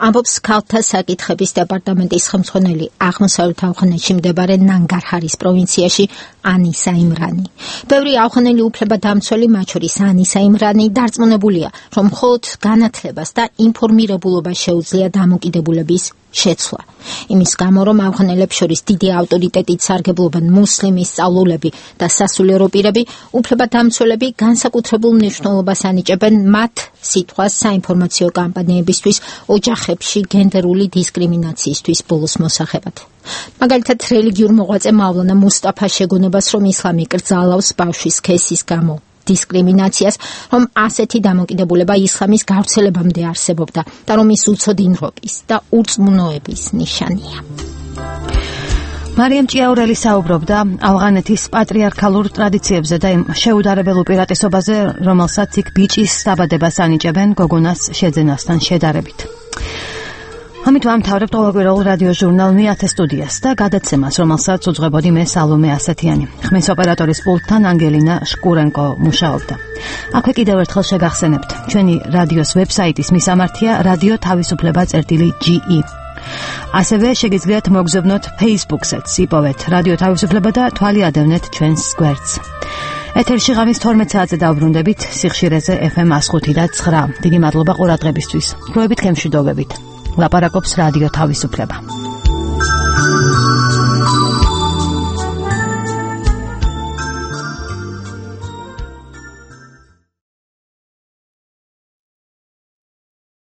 Speaker 15: ამბობს ქალთა საკითხების დეპარტამენტის ხელმძღვანელი აღმოსავლეთ ავღანეთში მდებარე ნანგარჰარის პროვინციაში ანისა იმრანი. ბევრი ავღანელი უფლებადამცველი, მათ შორის ანისა იმრანი, დარწმუნებულია, რომ მხოლოდ განათლებას და ინფორმირებულობას შეუძლია დამოკიდებულების შეცვლა. იმის გამო, რომ ავღანელებს შორის დიდი ავტორიტეტით სარგებლობენ მუსლიმი სწავლულები და სასულიერო პირები, უფლებადამცველები განსაკუთრებულ მნიშვნელობას ანიჭებენ მათ სიტყვას საინფორმაციო კამპანიებისთვის, ოჯახებში გენდერული დისკრიმინაციისთვის ბოლოს მოსახებად. მაგალითად, რელიგიურ მოღვაწე მავლანა მუსტაფა შეგონებას, რომ ისლამი კრძალავს ბავშვის სქესის გამო დისკრიმინაციას, რომ ასეთი დამოკიდებულება ისლამის გავრცელებამდე არსებობდა და რომ ის უცოდინრობის და ურწმუნოების ნიშანია.
Speaker 1: მარიამ ჭიაურელი საუბრობდა ავღანეთის პატრიარქალურ ტრადიციებზე და იმ შეუდარებელ უპირატესობაზე, რომელსაც იქ ბიჭის დაბადებას ანიჭებენ გოგონას შეძენასთან შედარებით. ამით ვამთავრებთ ყოველკვირეულ რადიო ჟურნალ მეათე სტუდიას და გადაცემას, რომელსაც უძღვებოდი მე სალომე ასათიანი. ხმის ოპერატორის პულტთან ანგელინა შკურენკო მუშაობდა. აქვე კიდევ ერთხელ შეგახსენებთ, ჩვენი რადიოს ვებსაიტის მისამართია radio.tavisufleba.ge. ასევე შეგიძლიათ მოგზავნოთ Facebook-საც, იპოვეთ რადიო თავისუფლება და თვალი ადევნეთ ჩვენს გვერდს. ეთერში ღამის 12 საათზე დავბრუნდებით სიხშირეზე FM 105.9. დიდი მადლობა ყურადღებისთვის. დროებით გემშვიდობებით. ლაპარაკობს რადიო თავისუფლება.